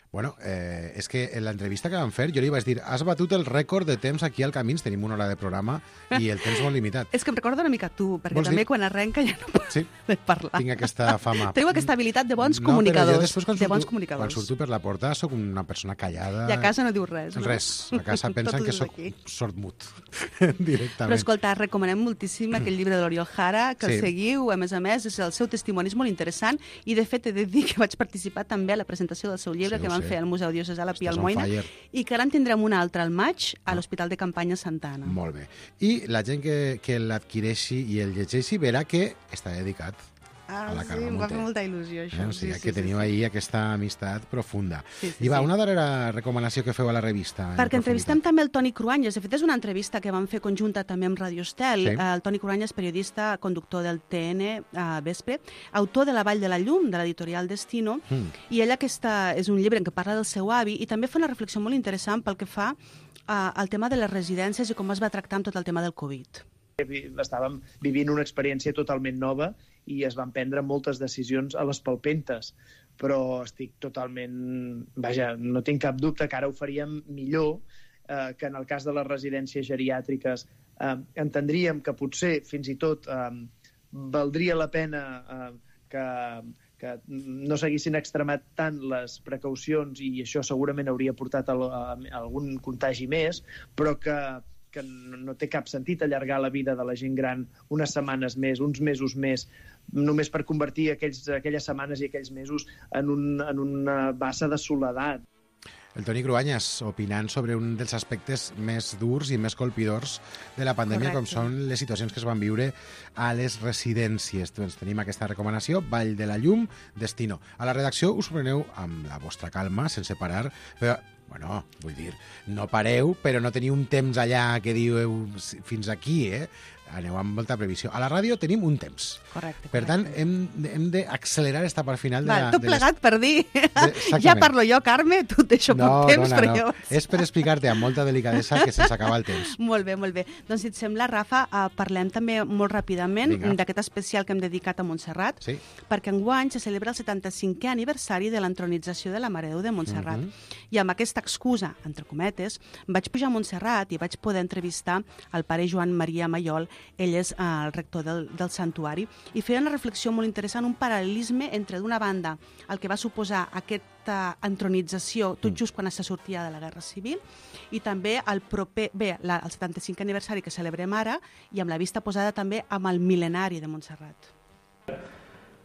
Bueno, eh, és que en l'entrevista que vam fer jo li vaig dir, has batut el rècord de temps aquí al Camins, tenim una hora de programa i el temps molt limitat. És que em recorda una mica tu, perquè també dir? Quan arrenca ja no pots sí, parlar. Tinc aquesta fama. Teniu aquesta habilitat de bons no, comunicadors. No, però jo després, quan, de surto, bons comunicadors. quan surto per la porta, sóc una persona callada. I a casa no diu res, no? Res. A casa pensen que sóc sordmut, directament. Però escolta, recomanem moltíssim aquell llibre de l'Oriol Jara, que sí. el seguiu, a més a més, és el seu testimoni és molt interessant, i de fet he de dir que vaig participar també a la presentació del seu llibre sí, que van fer al Museu Diocesà a la Pia Almoina, i que ara en tindrem una altra al maig a l'Hospital de Campanya Santa Anna. Molt bé. I la gent que, que l'adquireixi i el llegeixi verà que està dedicat Ah, a la sí, Carme em va Munté. fer molta il·lusió, això. Eh? O sigui, sí, que sí, teniu sí, ahir aquesta amistat profunda. Sí, sí, I va, sí. una darrera recomanació que feu a la revista. Perquè entrevistem també el Toni Cruanyes. De fet, és una entrevista que vam fer conjunta també amb Radio Estel. Sí. El Toni Cruanyes, periodista, conductor del T N a Vespre, autor de La Vall de la Llum, de l'editorial Destino, Mm. i ella aquesta és un llibre en què parla del seu avi i també fa una reflexió molt interessant pel que fa uh, al tema de les residències i com es va tractar amb tot el tema del Covid. Estàvem vivint una experiència totalment nova i es van prendre moltes decisions a les palpentes, però estic totalment... Vaja, no tinc cap dubte que ara ho faríem millor, eh, que en el cas de les residències geriàtriques eh, entendríem que potser fins i tot eh, valdria la pena eh, que, que no s'haguessin extremat tant les precaucions i això segurament hauria portat a, a, a algun contagi més, però que que no té cap sentit allargar la vida de la gent gran unes setmanes més, uns mesos més, només per convertir aquells, aquelles setmanes i aquells mesos en, un, en una bassa de soledat. El Toni Cruanyes, opinant sobre un dels aspectes més durs i més colpidors de la pandèmia, Correcte. com són les situacions que es van viure a les residències. Doncs tenim aquesta recomanació, Vall de la Llum, Destino. A la redacció us preneu amb la vostra calma, sense parar, però, bueno, vull dir, no pareu, però no teniu un temps allà que diu fins aquí, eh? Aneu amb molta previsió. A la ràdio tenim un temps. Correcte. Per tant, hem, hem d'accelerar esta part final de Val, la... tot de les- plegat per dir. Exactament. Ja parlo jo, Carme, tu et deixo No, poc temps, dona, però no. jo... És per explicar-te amb molta delicadesa que se'ns acaba el temps. Molt bé, molt bé. Doncs, si et sembla, Rafa, eh, parlem també molt ràpidament Vinga. d'aquest especial que hem dedicat a Montserrat, Sí. perquè enguany se celebra el setanta-cinquè aniversari de l'entronització de la Mare de Déu de Montserrat. Mhm. I amb aquesta excusa, entre cometes, vaig pujar a Montserrat i vaig poder entrevistar el pare Joan Maria Maiol, ell és eh, el rector del, del santuari, i feia una reflexió molt interessant, un paral·lelisme entre, d'una banda, el que va suposar aquesta entronització tot just quan se sortia de la Guerra Civil, i també el proper, bé, la, el setanta-cinquè aniversari que celebrem ara, i amb la vista posada també amb el mil·lenari de Montserrat.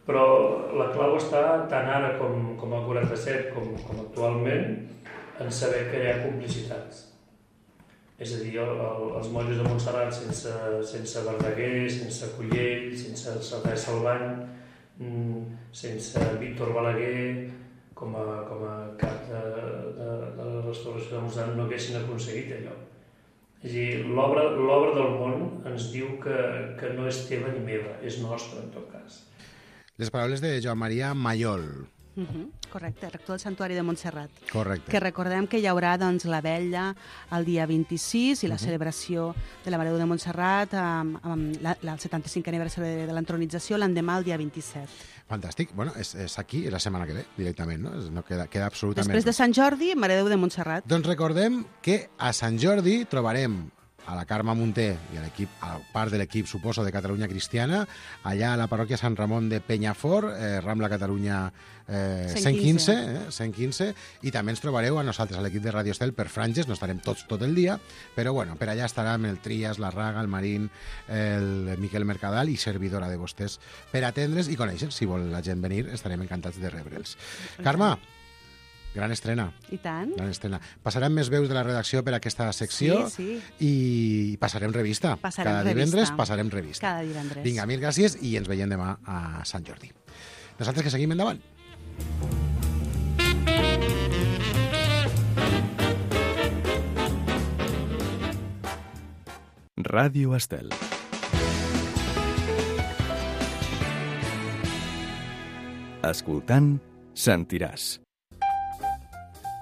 Però la clau està tant ara com, com al quaranta-set com, com actualment en saber que hi ha complicitats. És a dir, el, el, els monjos de Montserrat sense, sense Verdaguer, sense Cullell, sense Cerdà Salvany, sense Víctor Balaguer com a, com a cap de, de, de la restauració de Montserrat no haguessin aconseguit allò. És a dir, l'obra l'obra del món ens diu que, que no és teva ni meva, és nostra en tot cas. Les paraules de Joan Maria Maiol. Uh -huh, correcte, rector del Santuari de Montserrat. Correcte. Que recordem que hi haurà doncs, la vetlla el dia vint-i-sis i la Uh-huh. celebració de la Mare de Déu de Montserrat amb, amb la, la, el setanta-cinquè aniversari de, de l'entronització l'endemà el dia vint-i-set. Fantàstic. Bueno, és, és aquí, és la setmana que ve, directament, no? No queda, queda absolutament... Després de Sant Jordi, Mare de Déu de Montserrat. Doncs recordem que a Sant Jordi trobarem a la Carme Munté i a l'equip, a part de l'equip, suposo, de Catalunya Cristiana, allà a la parròquia Sant Ramon de Penyafort, eh, Rambla Catalunya eh, cent quinze, eh, cent quinze, i també ens trobareu a nosaltres, a l'equip de Radio Estel, per franges, no estarem tots tot el dia, però bueno, per allà estarem el Trias, la Raga, el Marín, el Miquel Mercadal i servidora de vostès per atendre's i conèixer. Si vol la gent venir, estarem encantats de rebre'ls. Carme, gran estrena. I tant. Gran estrena. Passarem més veus de la redacció per aquesta secció Sí, sí. i passarem revista. Passarem Cada revista. divendres passarem revista. Cada divendres. Vinga, mil gràcies i ens veiem demà a Sant Jordi. Nosaltres que seguim endavant. Ràdio Estel. Escoltant, sentiràs.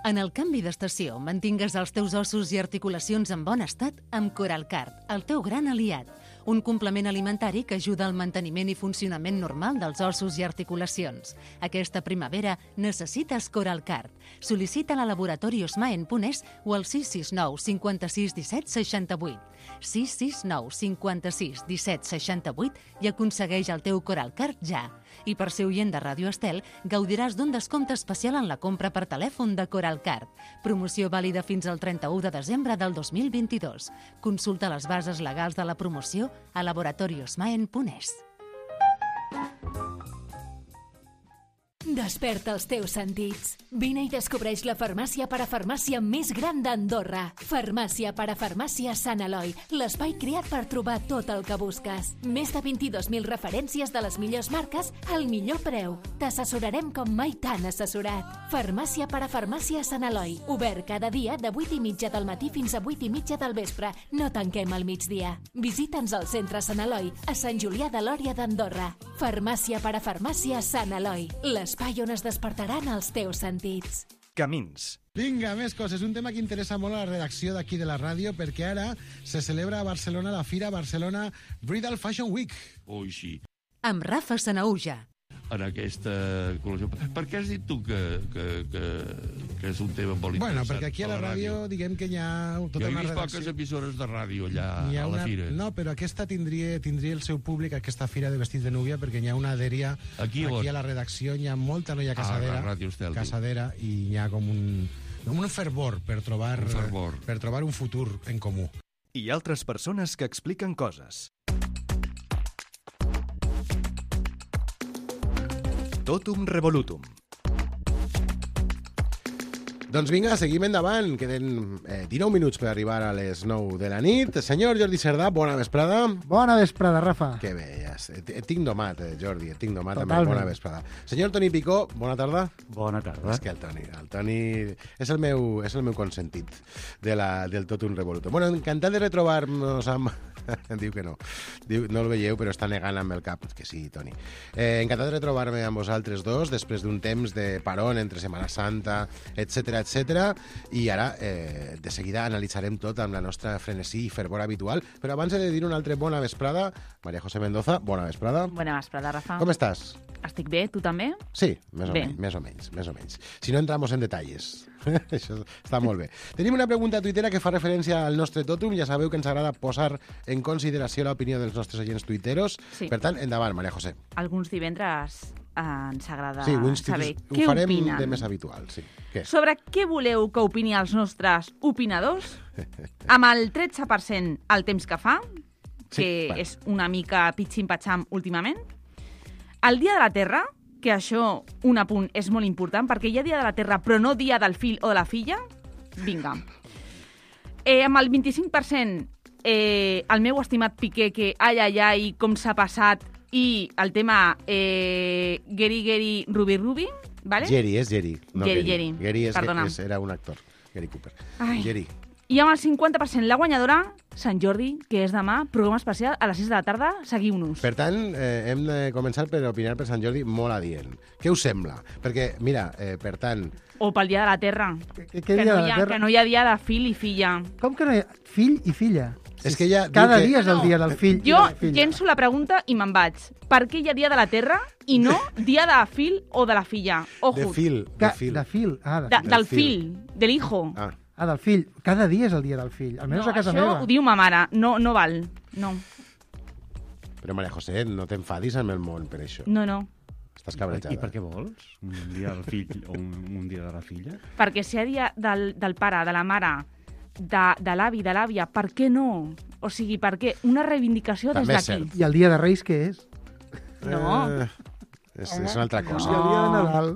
En el canvi d'estació, mantingues els teus ossos i articulacions en bon estat amb Coralcard, el teu gran aliat. Un complement alimentari que ajuda al manteniment i funcionament normal dels ossos i articulacions. Aquesta primavera necessites Coralcard. Sol·licita-la a laboratori osmaen punt es o al sis sis nou cinquanta-sis disset seixanta-vuit. sis sis nou cinquanta-sis disset seixanta-vuit i aconsegueix el teu Coralcard ja. I per ser oient de Ràdio Estel, gaudiràs d'un descompte especial en la compra per telèfon de Coralcard. Promoció vàlida fins al trenta-u de desembre del dos mil vint-i-dos. Consulta les bases legals de la promoció a laboratori osmaen punt es. Desperta els teus sentits. Vine i descobreix la farmàcia parafarmàcia més gran d'Andorra. Farmàcia parafarmàcia Sant Eloi, l'espai creat per trobar tot el que busques. Més de vint-i-dos mil referències de les millors marques al millor preu. T'assessorarem com mai t'han assessorat. Farmàcia parafarmàcia Sant Eloi, obert cada dia de vuit i mitja del matí fins a vuit i mitja del vespre. No tanquem al migdia. Visita'ns al centre Sant Eloi, a Sant Julià de Lòria d'Andorra. Farmàcia parafarmàcia Sant Eloi, l'espai on es despertaran els teus sentits. Camins. Vinga, més coses. Un tema que interessa molt a la redacció d'aquí de la ràdio, perquè ara se celebra a Barcelona la Fira Barcelona Bridal Fashion Week. Ui, sí. Amb Rafa Sanauja. En aquesta col·lecció. Per què has dit tu que, que, que, que és un tema molt interessant? Bueno, perquè aquí a la, a la ràdio, ràdio diguem que hi ha tota jo una redacció. Jo he vist poques emissores de ràdio allà a la una... fira. No, però aquesta tindria, tindria el seu públic, aquesta fira de vestits de núvia, perquè hi ha una adèria aquí, aquí a la redacció, hi ha molta noia casadera, ah, Estel, casadera i hi ha com un, com un fervor per trobar, un fervor. per trobar un futur en comú. I altres persones que expliquen coses. Totum revolutum. Doncs vinga, seguim endavant. Queden eh, dinou minuts per arribar a les nou de la nit. Senyor Jordi Cerdà, bona vesprada. Bona vesprada, Rafa. Que bé, ja et, et tinc domat, eh, Jordi, et tinc domat amb bona vesprada. Senyor Toni Picó, bona tarda. Bona tarda. És que el Toni, el Toni és el meu, és el meu consentit de la, del Totum Revolutum. Bueno, encantat de retrobar-nos amb... Diu que no. Diu, no el veieu, però està negant amb el cap. Que sí, Toni. Eh, encantat de retrobar-me amb vosaltres dos després d'un temps de parón entre Setmana Santa, etcètera, etcètera. I ara, eh, de seguida, analitzarem tot amb la nostra frenesí i fervor habitual. Però abans he de dir una altra bona vesprada. Maria José Mendoza, bona vesprada. Bona vesprada, Rafa. Com estàs? Estic bé, tu també? Sí, més o, bé. menys, més o menys, més o menys. Si no entramos en detalles. Això està molt bé. Tenim una pregunta tuitera que fa referència al nostre tòtum. Ja sabeu que ens agrada posar en consideració l'opinió dels nostres agents tuiteros. Sí. Per tant, endavant, Maria José. Alguns divendres eh, ens agrada sí, saber ho què farem opinen. de més habitual. Sí. Què? Sobre què voleu que opini els nostres opinadors? Amb el tretze per cent el temps que fa, que sí, bueno. és una mica pitxim-patxam últimament. El Dia de la Terra, que això, un apunt, és molt important, perquè hi ha Dia de la Terra, però no Dia del fill o de la filla. Vinga. Eh, amb el vint-i-cinc per cent, eh, el meu estimat Piqué, que ai, ai, ai, com s'ha passat, i el tema eh, Geri, Geri, Rubi, Rubi, ¿vale? Geri, és Geri. No Geri, Geri. Geri, Geri és, perdona. és, era un actor, Geri Cooper. Ai. Geri. I amb el cinquanta per cent la guanyadora, Sant Jordi, que és demà, programa especial a les sis de la tarda, seguiu-nos. Per tant, eh, hem de començar per opinar per Sant Jordi molt adient. Què us sembla? Perquè, mira, eh, per tant... O pel Dia de la Terra. Que, que, que, no, hi ha, que no hi ha dia de fill i filla. Com que no hi ha fill i filla? És que ja Cada que... dia és el dia del fill jo i de la filla. llenço la pregunta i me'n vaig. Per què hi ha dia de la Terra i no dia de fill o de la filla? Ojo. De fil, de Ca fil. De fil, ah, de De, fil. del fill, de l'hijo. Ah. Ah, del fill. Cada dia és el dia del fill, almenys No, a casa això meva. ho diu ma mare, no, no val. No, Però, Maria José, no t'enfadis amb el món per això. no, no. Estàs cabrejada. I per què vols? Un dia del fill o un, un dia de la filla? Perquè si hi ha dia del, del pare, de la mare, de, de l'avi, de l'àvia, per què no? O sigui, per què? Una reivindicació des També és d'aquí. cert. I el dia de Reis què és? No. Eh, és, és una altra cosa. I el dia de Nadal.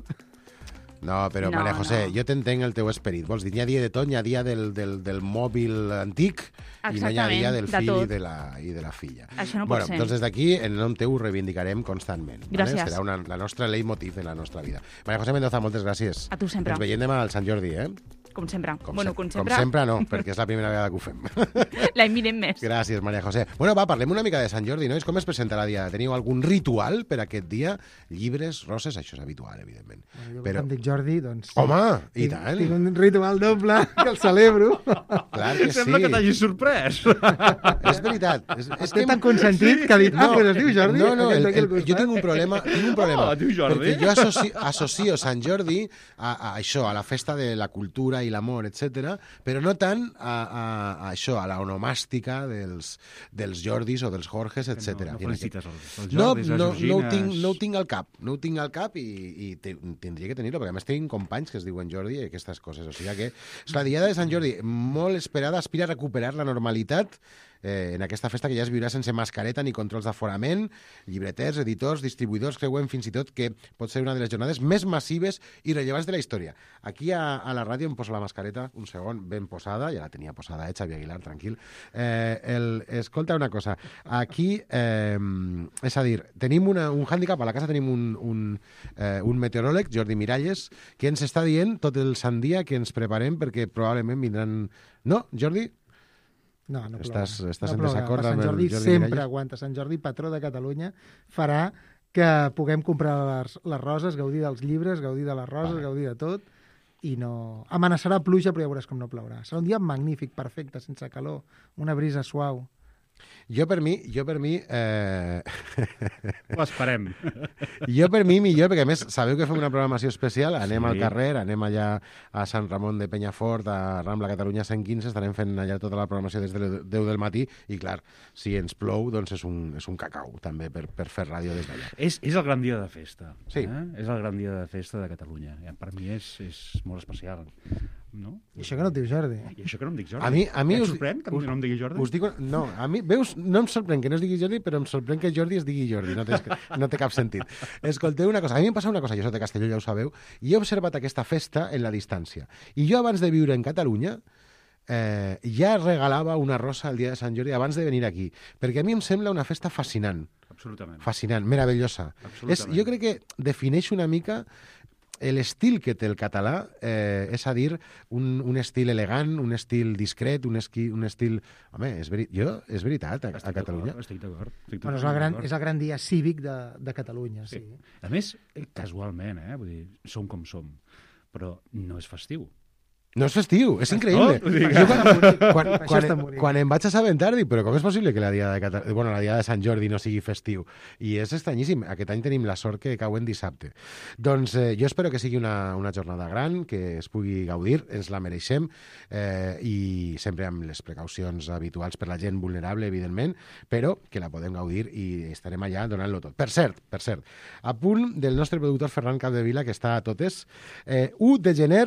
No, però, No, Maria José, no. jo t'entenc el teu esperit. Vols dir, hi ha dia de tot, hi ha dia del, del, del mòbil antic i no hi ha dia del de fill tot. i de, la, i de la filla. Això no pot bueno, ser. Doncs des d'aquí, en nom teu, ho reivindicarem constantment. Gràcies. Vale? Serà una, la nostra leitmotiv en la nostra vida. Maria José Mendoza, moltes gràcies. A tu sempre. Ens veiem demà al Sant Jordi, eh? Com sempre. Com, bueno, se- com com sempre. sempre no, perquè és la primera vegada que ho fem. L'any vinent més. Gràcies, Maria José. Bueno, va, parlem una mica de Sant Jordi, nois. Com es presentarà el dia? Teniu algun ritual per aquest dia? Llibres, roses, això és habitual, evidentment. Jo, Però... em dic Jordi, doncs... Home, i tinc, tant. Tinc un ritual doble que el celebro. Clar que sí. Sembla que t'hagis sorprès. És veritat. És, és Té tan consentit que ha dit, ah, pues es diu Jordi. No, no, aquest el, d'aquí al el, jo costat. tinc un problema, tinc un problema. Oh, diu Jordi. Perquè jo associo, associo Sant Jordi a, a això, a la festa de la cultura i l'amor, etcètera, però no tant a, a, a això, a la onomàstica dels, dels Jordis o dels Jorges, etcètera. No, no felicites els, els No, Jordis, les no, no, ho Georgines... tinc, no ho tinc al cap, no ho tinc al cap i, i te, tindria que tenir-ho, perquè a més tinc companys que es diuen Jordi i aquestes coses. O sigui que és la Diada de Sant Jordi molt esperada, aspira a recuperar la normalitat eh, en aquesta festa que ja es viurà sense mascareta ni controls d'aforament, llibreters, editors, distribuïdors creuen fins i tot que pot ser una de les jornades més massives i rellevants de la història. Aquí a, a la ràdio em poso la mascareta, un segon, ben posada, ja la tenia posada, eh, Xavi Aguilar, tranquil. Eh, el, escolta una cosa, aquí, eh, és a dir, tenim una, un hàndicap, a la casa tenim un, un, eh, un meteoròleg, Jordi Miralles, que ens està dient tot el sant dia que ens preparem perquè probablement vindran... No, Jordi? No, no plourà. Estàs, estàs no en desacord Sant amb el Jordi Jordi sempre Miralles? aguanta. Sant Jordi, patró de Catalunya, farà que puguem comprar les, les roses, gaudir dels llibres, gaudir de les roses, vale. gaudir de tot, i no... Amenaçarà pluja, però ja veuràs com no plourà. Serà un dia magnífic, perfecte, sense calor, una brisa suau. Jo per mi, jo per mi... Eh... Ho esperem. Jo per mi millor, perquè a més sabeu que fem una programació especial, anem Sí. al carrer, anem allà a Sant Ramon de Penyafort, a Rambla Catalunya cent quinze, estarem fent allà tota la programació des de les deu del matí, i clar, si ens plou, doncs és un, és un cacau, també, per, per fer ràdio des d'allà. És, és el gran dia de festa. Sí. Eh? És el gran dia de festa de Catalunya. Per mi és, és molt especial. No? I això que no et diu Jordi. I això que no em dic Jordi. A mi, a mi Et us, sorprèn que us, no em digui Jordi? Us dic, no, a mi, veus, no em sorprèn que no es digui Jordi, però em sorprèn que Jordi es digui Jordi. No té, no té cap sentit. Escolteu una cosa, a mi em passa una cosa, jo soc de Castelló, ja ho sabeu, i he observat aquesta festa en la distància. I jo, abans de viure en Catalunya, eh, ja regalava una rosa el dia de Sant Jordi abans de venir aquí, perquè a mi em sembla una festa fascinant. Absolutament. Fascinant, meravellosa. És, jo crec que defineix una mica l'estil que té el català, eh, és a dir, un, un estil elegant, un estil discret, un, esqui, un estil... Home, és, veri... jo, és veritat, a, a Catalunya. Estic d'acord. Bueno, és, el gran, és el gran dia cívic de, de Catalunya, sí. sí. A més, casualment, eh? Vull dir, som com som, però no és festiu. No és festiu, és increïble. No, jo quan, quan, Això quan, està bonic. quan em vaig assabentar, dic, però com és possible que la dia de, Cata... bueno, la dia de Sant Jordi no sigui festiu? I és estranyíssim. Aquest any tenim la sort que cau en dissabte. Doncs eh, jo espero que sigui una, una jornada gran, que es pugui gaudir, ens la mereixem, eh, i sempre amb les precaucions habituals per la gent vulnerable, evidentment, però que la podem gaudir i estarem allà donant-lo tot. Per cert, per cert, a punt del nostre productor Ferran Capdevila, que està a totes, eh, u de gener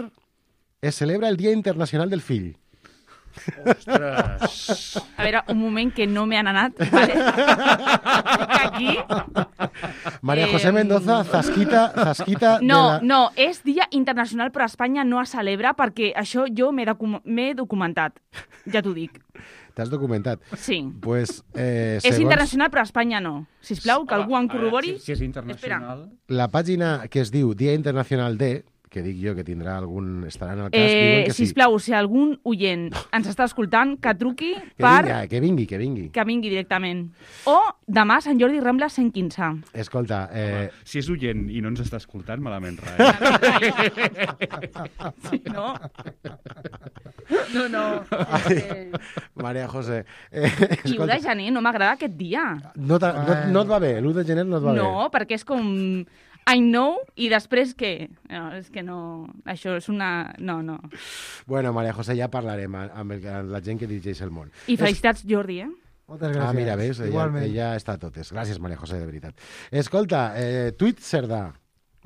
es celebra el Dia Internacional del Fill. Ostres! A veure, un moment que no me han anat, vale? Aquí... María José Mendoza, zasquita, zasquita No, de la... no, és Dia Internacional, però a Espanya no es celebra perquè això jo m'he docu documentat, ja t'ho dic. T'has documentat? Sí. Pues, eh, És segons internacional, però a Espanya no. Sisplau, que algú en corrobori. Si, si és internacional... la pàgina que es diu Dia Internacional de, que dic jo que tindrà algun... estarà en el cas, Eh, diuen que sí. sisplau, si algun oient ens està escoltant, que truqui Que per... vingui, que vingui, que vingui. que vingui directament. O demà Sant Jordi Rambla cent quinze. Escolta, eh... Home, si és oient i no ens està escoltant, malament res. Sí, no? No, no. Ai, María José... Eh, I u de gener no m'agrada aquest dia. no, no, no et va bé, l'u de gener no et va No, bé. perquè és com... I know, i després què? No, és que no... Això és una... No, no. Bueno, María José, ja parlarem amb, el, amb la gent que dirigeix el món. I felicitats, Jordi, eh? Moltes gràcies. Ah, mira, veus? Ella, Igualment. ella està a totes. Gràcies, María José, de veritat. Escolta, eh, tuit Cerdà.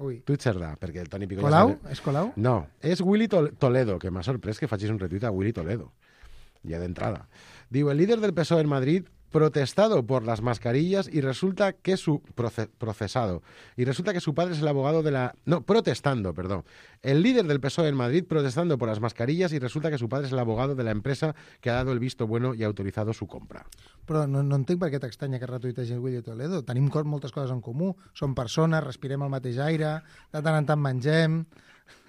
Ui. Tuit Cerdà, perquè el Toni Picó... Colau? Ja sabe... És Colau? No, és Willy Tol- Toledo, que m'ha sorprès que facis un retuit a Willy Toledo. Ya de entrada. Digo, el líder del P S O E en Madrid protestado por las mascarillas y resulta que su proce procesado y resulta que su padre es el abogado de la no protestando perdón el líder del P S O E en Madrid protestando por las mascarillas y resulta que su padre es el abogado de la empresa que ha dado el visto bueno y ha autorizado su compra. Però no, no entenc per què t'estranya que retuitegi el Willy Toledo. Tenim moltes coses en comú. Som persones, respirem el mateix aire, de tant en tant mengem,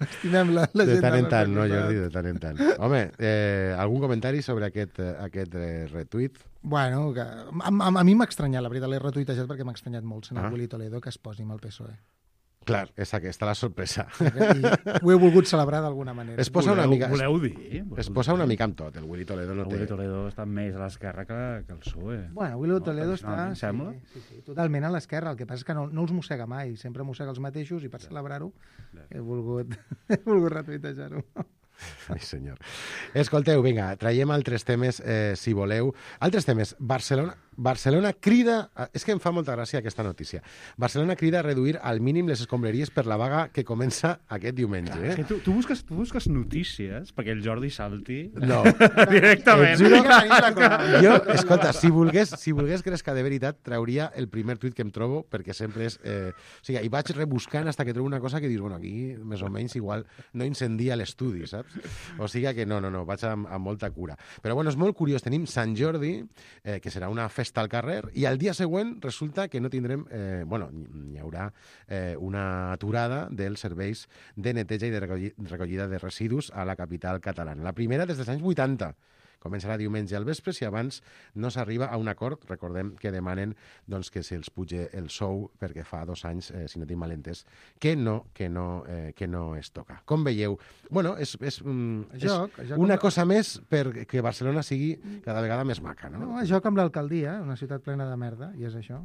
estimem la, la de gent... tant en del tant, no, nostre Jordi, costat. de tant en tant. Home, eh, algun comentari sobre aquest, eh, aquest eh, retuit? Bueno, que, a, a, a mi m'ha estranyat, la veritat, l'he retuitejat perquè m'ha estranyat molt sent Ah. el Willy Toledo que es posi amb el P S O E. Clar, és aquesta la sorpresa. I ho he volgut celebrar d'alguna manera. Es posa una mica... Voleu dir? Es posa una mica amb tot, el Willy Toledo no El té... Willy Toledo està més a l'esquerra que, que el P S O E. Bueno, Willy Toledo no, està... Sí, sembla? Sí, sí, totalment a l'esquerra. El que passa és que no, no els mossega mai. Sempre mossega els mateixos i per celebrar-ho he volgut, he volgut retuitejar-ho. Ai, senyor. Escolteu, vinga, traiem altres temes, eh, si voleu. Altres temes. Barcelona... Barcelona crida... És que em fa molta gràcia aquesta notícia. Barcelona crida a reduir al mínim les escombraries per la vaga que comença aquest diumenge. Clar, Eh? que tu, tu, busques, tu busques notícies perquè el Jordi salti No. directament. Et juro que jo, escolta, si volgués, si volgués grescar de veritat, trauria el primer tuit que em trobo, perquè sempre és... Eh... O sigui, i vaig rebuscant hasta que trobo una cosa que dius, bueno, aquí més o menys igual no incendia l'estudi, saps? O sigui que no, no, no, vaig amb, amb molta cura. Però bueno, és molt curiós, tenim Sant Jordi, eh, que serà una festa al carrer, i al dia següent resulta que no tindrem... Eh, bueno, hi haurà eh, una aturada dels serveis de neteja i de recollida de residus a la capital catalana. La primera des dels anys vuitanta. Començarà diumenge al vespre, si abans no s'arriba a un acord. Recordem que demanen doncs, que se'ls puge el sou perquè fa dos anys, eh, si no tinc mal entès, que no, que no, eh, que no es toca. Com veieu? Bueno, és, és, mm, és Joc, joc una amb- cosa més perquè Barcelona sigui cada vegada més maca, no? No, joc amb l'alcaldia, una ciutat plena de merda, i és això.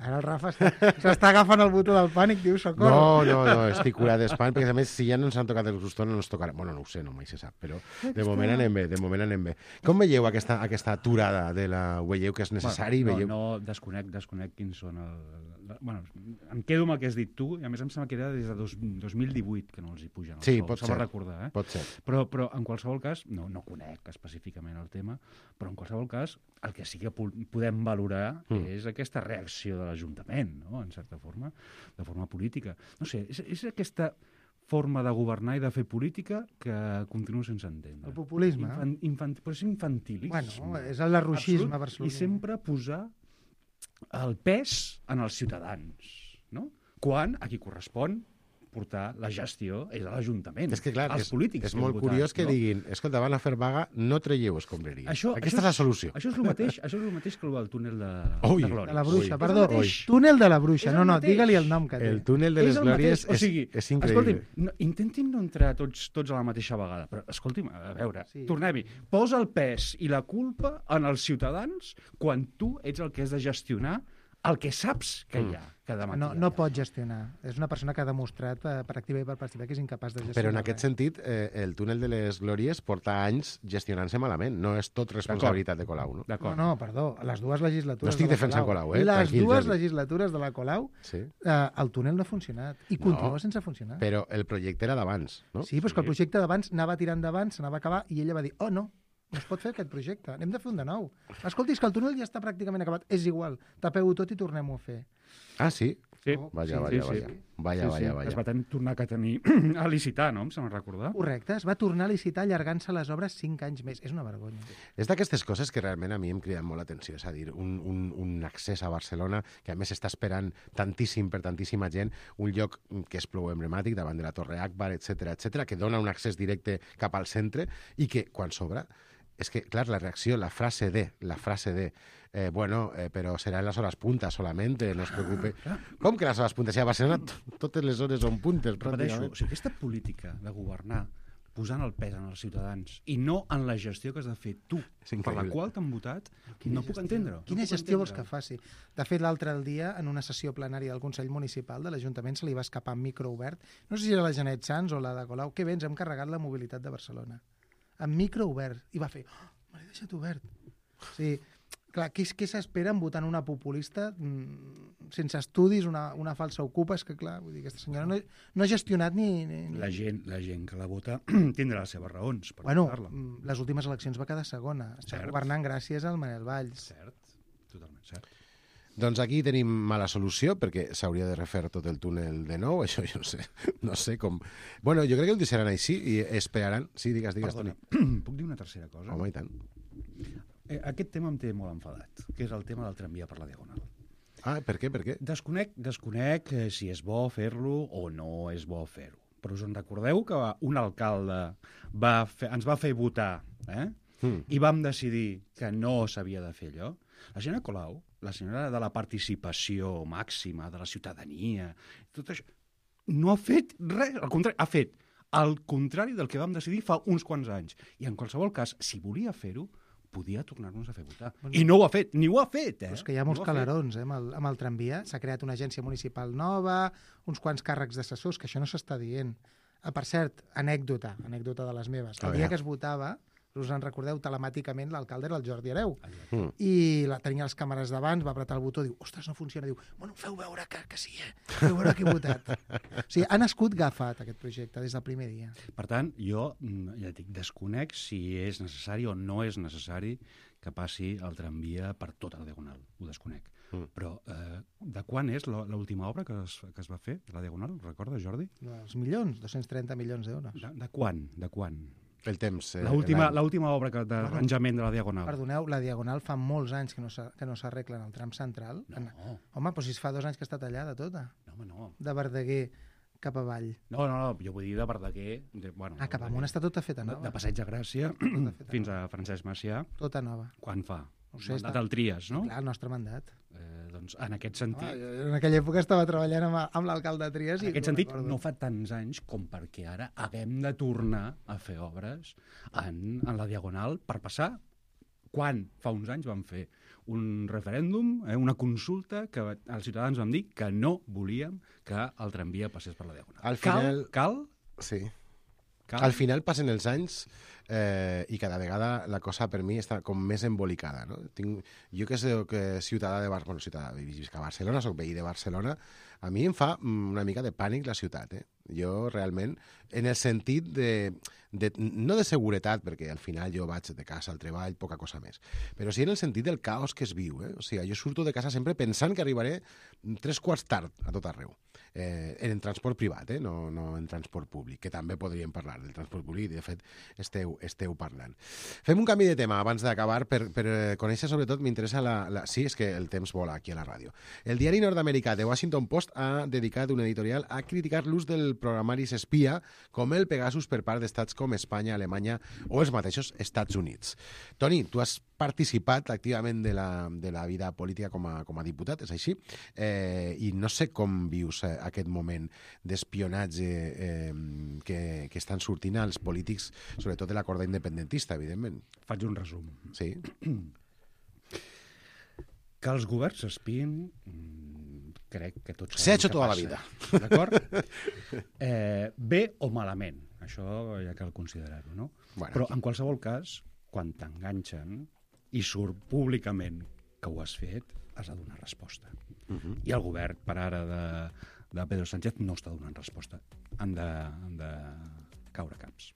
Ara el Rafa està- s'està agafant el botó del pànic, diu, socorro. No, no, no, estic curat d'espant, perquè a més, si ja no ens han tocat els gustons, no ens tocarà. Bueno, no ho sé, no mai se sap, però de moment anem bé, de moment anem bé. Com veieu aquesta, aquesta aturada de la... Ho veieu que és necessari? Bueno, veieu... no, no, desconec, desconec quins són el... la- Bueno, em quedo amb el que has dit tu, i a més em sembla que era des de dos, dos mil divuit que no els hi pugen el Sí, sou. pot Se va ser, recordar, eh? pot ser. Però, però en qualsevol cas, no, no conec específicament el tema, però en qualsevol cas el que sí que po- podem valorar Mm. és aquesta reacció de l'Ajuntament, no?, en certa forma, de forma política. No sé, és, és aquesta forma de governar i de fer política que continuo sense entendre. El populisme. Infan, infant, però és infantilisme. Bueno, és el larruixisme Absolut, barceloní. I sempre posar el pes en els ciutadans, no? Quan a qui correspon portar la gestió és a l'Ajuntament. És que, clar, als és, polítics és que hem molt votat, curiós que no? diguin, escolta, van a fer vaga, no traieu escombraries. Això, Aquesta això és la solució. Això és el mateix, això és el mateix que el del túnel de, Ui. de Glòries. De la bruixa, Ui. perdó. És el mateix. Túnel de la bruixa. És No, el no, mateix. digue-li el nom que té. El túnel de És les el Glòries mateix. O és, sigui, és increïble. Escolti'm, no, intentin no entrar tots, tots a la mateixa vegada, però escolti'm, a veure, Sí. sí. tornem-hi. Posa el pes i la culpa en els ciutadans quan tu ets el que has de gestionar el que saps que hi ha cada matí. No, no pot gestionar. És una persona que ha demostrat per, per activa i per passiva que és incapaç de gestionar. Però en aquest res. sentit, eh, el túnel de les Glòries porta anys gestionant-se malament. No és tot responsabilitat de Colau, no? No, no, perdó. Les dues legislatures No estic de la defensant Colau, eh? Les Tranquil, dues Jordi. legislatures de la Colau, Sí. eh, el túnel no ha funcionat. I No, continua sense funcionar. Però el projecte era d'abans, no? Sí, però és que el projecte d'abans anava tirant endavant, s'anava a acabar, i ella va dir, oh, no, no es pot fer aquest projecte, n'hem de fer un de nou. Escolti, és que el túnel ja està pràcticament acabat. És igual, tapeu-ho tot i tornem-ho a fer. Ah, sí? Sí. Vaja, Sí, vaja, sí, vaja. sí. Vaja, Sí, vaja, sí. vaja. Es va ten tornar a tenir a licitar, no? Em sembla recordar. Correcte, es va tornar a licitar allargant-se les obres cinc anys més. És una vergonya. És d'aquestes coses que realment a mi em criden molt l'atenció, és a dir, un, un, un accés a Barcelona que a més està esperant tantíssim per tantíssima gent, un lloc que és prou emblemàtic davant de la Torre Akbar, etcètera, etcètera, que dona un accés directe cap al centre i que, quan s'obre, és que, clar, la reacció, la frase de, la frase de, eh, bueno, eh, però serà en les hores puntes solamente, no es preocupe. Com que les hores puntes? Si a Barcelona t- totes les hores són puntes, Repeteixo, pràcticament. o sigui, aquesta política de governar posant el pes en els ciutadans i no en la gestió que has de fer tu, per la increïble. qual t'han votat, no puc entendre-ho. Quina no puc gestió vols que entendre-ho. faci? De fet, l'altre dia, en una sessió plenària del Consell Municipal de l'Ajuntament, se li va escapar amb micro obert. No sé si era la Janet Sans o la de Colau. Que bé, ens hem carregat la mobilitat de Barcelona. Amb micro obert. I va fer, oh, me l'he deixat obert. Sí, clar, què, què s'espera en votant una populista mm, sense estudis, una, una falsa ocupa? És que, clar, vull dir, aquesta senyora no, no ha gestionat ni... ni, ni... La gent, la gent que la vota tindrà les seves raons per Bueno, votar-la. mm, les últimes eleccions va quedar segona. Està Cert. governant gràcies al Manel Valls. Cert, totalment cert. Doncs aquí tenim mala solució, perquè s'hauria de refer tot el túnel de nou, això jo no sé, no sé com... Bueno, jo crec que ho deixaran així i esperaran... Sí, digues, digues, Toni. Perdona, puc dir una tercera cosa? Home, i tant. Eh, aquest tema em té molt enfadat, que és el tema del tramvia per la Diagonal. Ah, per què, per què? Desconec, desconec eh, si és bo fer-lo o no és bo fer-ho. Però us en recordeu que un alcalde va fer, ens va fer votar, eh? Mm. I vam decidir que no s'havia de fer allò? La senyora Colau, la senyora de la participació màxima, de la ciutadania, tot això, no ha fet res, al contrari, ha fet el contrari del que vam decidir fa uns quants anys. I en qualsevol cas, si volia fer-ho, podia tornar-nos a fer votar. Bueno, I no ho ha fet, ni ho ha fet, eh? Però és que hi ha molts Ni ho ha fet. calarons eh, amb, el, amb el tramvia. S'ha creat una agència municipal nova, uns quants càrrecs d'assessors, que això no s'està dient. Ah, per cert, anècdota, anècdota de les meves. A El dia veure. que es votava, us en recordeu, telemàticament l'alcalde era el Jordi Hereu. Mm. I la, tenia les càmeres davant, va apretar el botó, diu, ostres, no funciona. Diu, bueno, feu veure que, que sí, eh? Feu veure que he votat. O sigui, ha nascut Gafat, aquest projecte, des del primer dia. Per tant, jo, ja dic, desconec si és necessari o no és necessari que passi el tramvia per tota la Diagonal. Ho desconec. Mm. Però eh, de quan és l'última obra que es, que es va fer, la Diagonal? Recordes, Jordi? Els milions, dos-cents trenta milions d'euros. De, de quan? De quan? El temps. Eh, l'última obra que, d'arranjament de la Diagonal. Perdoneu, la Diagonal fa molts anys que no s'arregla en el tram central. No. En... Home, però si es fa dos anys que està tallada tota. No, home, no. De Verdaguer cap avall. No, no, no, jo vull dir de Verdaguer... De, bueno, ah, cap amunt està tota feta nova. De, de Passeig de Gràcia fins a Francesc Macià. Tota nova. Quan fa? No sé, mandat està... el tries, no? Clar, el nostre mandat. Eh, doncs en aquest sentit... Oh, en aquella època estava treballant amb, amb l'alcalde de Trias. En aquest sentit, recordo. No fa tants anys com perquè ara haguem de tornar a fer obres en, en la Diagonal per passar quan fa uns anys vam fer un referèndum, eh, una consulta que els ciutadans vam dir que no volíem que el tramvia passés per la Diagonal. Al final... Cal? Cal? Sí. Cal? Al final passen els anys eh, i cada vegada la cosa per mi està com més embolicada. No? Tinc, jo que soc ciutadà de Barcelona, bueno, ciutadà de Barcelona, soc veí de Barcelona, a mi em fa una mica de pànic la ciutat. Eh? Jo realment, en el sentit de, de, no de seguretat, perquè al final jo vaig de casa al treball, poca cosa més, però sí en el sentit del caos que es viu. Eh? O sigui, jo surto de casa sempre pensant que arribaré tres quarts tard a tot arreu. Eh, en transport privat, eh? no, no en transport públic, que també podríem parlar del transport públic, i de fet esteu, esteu parlant. Fem un canvi de tema abans d'acabar, per, per conèixer sobretot, m'interessa la, la... Sí, és que el temps vola aquí a la ràdio. El diari nord-americà The Washington Post ha dedicat un editorial a criticar l'ús del programari espia com el Pegasus per part d'estats com Espanya, Alemanya o els mateixos Estats Units. Toni, tu has participat activament de la, de la vida política com a, com a diputat, és així? Eh, I no sé com vius eh, aquest moment d'espionatge eh, que, que estan sortint als polítics, sobretot de la corda independentista, evidentment. Faig un resum. Sí. Que els governs s'espien, crec que tots s'ha hecho tota la vida. D'acord? Eh, bé o malament, això ja cal considerar-ho, no? Bueno, però en qualsevol cas, quan t'enganxen i surt públicament que ho has fet, has de donar resposta. Uh -huh. I el govern, per ara, de, de Pedro Sánchez no està donant resposta. Han de, han de caure caps.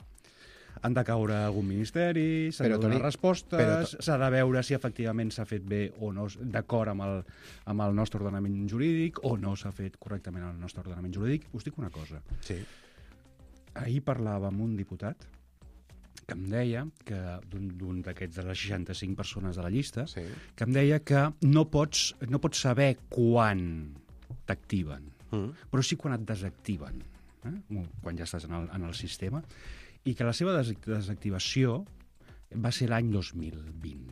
Han de caure algun ministeri, s'han de donar respostes, s'ha de veure si efectivament s'ha fet bé o no, d'acord amb, el, amb el nostre ordenament jurídic, o no s'ha fet correctament el nostre ordenament jurídic. Us dic una cosa. Sí. Ahir parlava amb un diputat que em deia, que d'un d'aquests de les seixanta-cinc persones de la llista, sí. que em deia que no pots, no pots saber quan t'activen, mm. però sí quan et desactiven, eh? quan ja estàs en el, en el sistema, i que la seva des desactivació va ser l'any dos mil vint.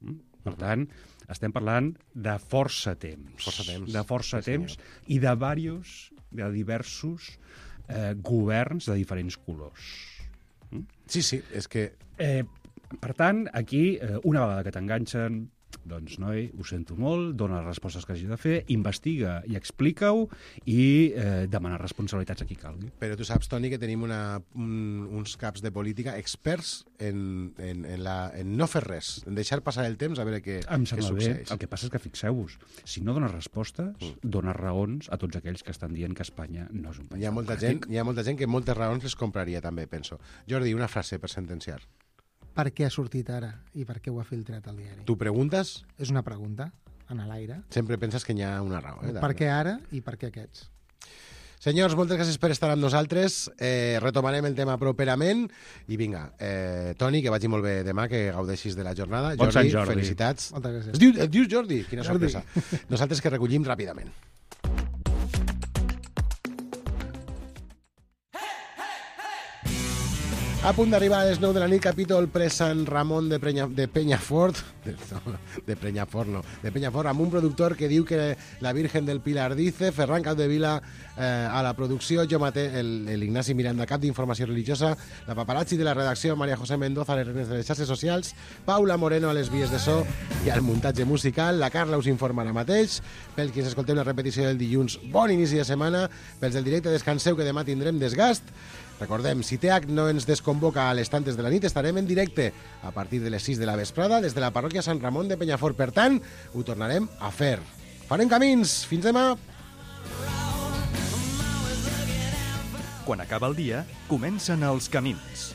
Mm? Per uh-huh. tant, estem parlant de força temps. Força temps. De força sí, temps i de diversos, de diversos eh, governs de diferents colors. Sí, sí, és que... Eh, per tant, aquí, eh, una vegada que t'enganxen, doncs, noi, ho sento molt, dona les respostes que hagi de fer, investiga i explica-ho i eh, demana responsabilitats a qui calgui. Però tu saps, Toni, que tenim una, un, uns caps de política experts en, en, en, la, en no fer res, en deixar passar el temps a veure què, em què succeeix. Bé. El que passa és que, fixeu-vos, si no dones respostes, mm. dones raons a tots aquells que estan dient que Espanya no és un país hi ha molta gent, hi ha molta gent que moltes raons les compraria, també, penso. Jordi, una frase per sentenciar. Per què ha sortit ara i per què ho ha filtrat al diari? Tu preguntes? És una pregunta, en l'aire. Sempre penses que hi ha una raó. Eh, per què ara i per què aquests? Senyors, moltes gràcies per estar amb nosaltres. Eh, retomarem el tema properament. I vinga, eh, Toni, que vagi molt bé demà, que gaudeixis de la jornada. Bon Jordi, Sant Jordi, felicitats. Moltes gràcies. Es diu, et dius Jordi? Quina Jordi. sorpresa. Nosaltres que recollim ràpidament. A punt d'arribar a les nou de la nit, capítol pre-Sant Ramon de, Prenya, de Penyafort, de, no, de Penyafort no, de Penyafort, amb un productor que diu que la Virgen del Pilar dice, Ferran Capdevila eh, a la producció, jo mateix, el, el Ignasi Miranda, cap d'informació religiosa, la paparazzi de la redacció, Maria José Mendoza, a les renes de les xarxes socials, Paula Moreno a les vies de so i al muntatge musical, la Carla us informa ara mateix, pel que ens escolteu la repetició del dilluns, bon inici de setmana, pels del directe descanseu que demà tindrem desgast, Recordem, si T H no ens desconvoca a les tantes de la nit, estarem en directe a partir de les sis de la vesprada des de la parròquia Sant Ramon de Penyafort. Per tant, ho tornarem a fer. Farem camins. Fins demà. Quan acaba el dia, comencen els camins.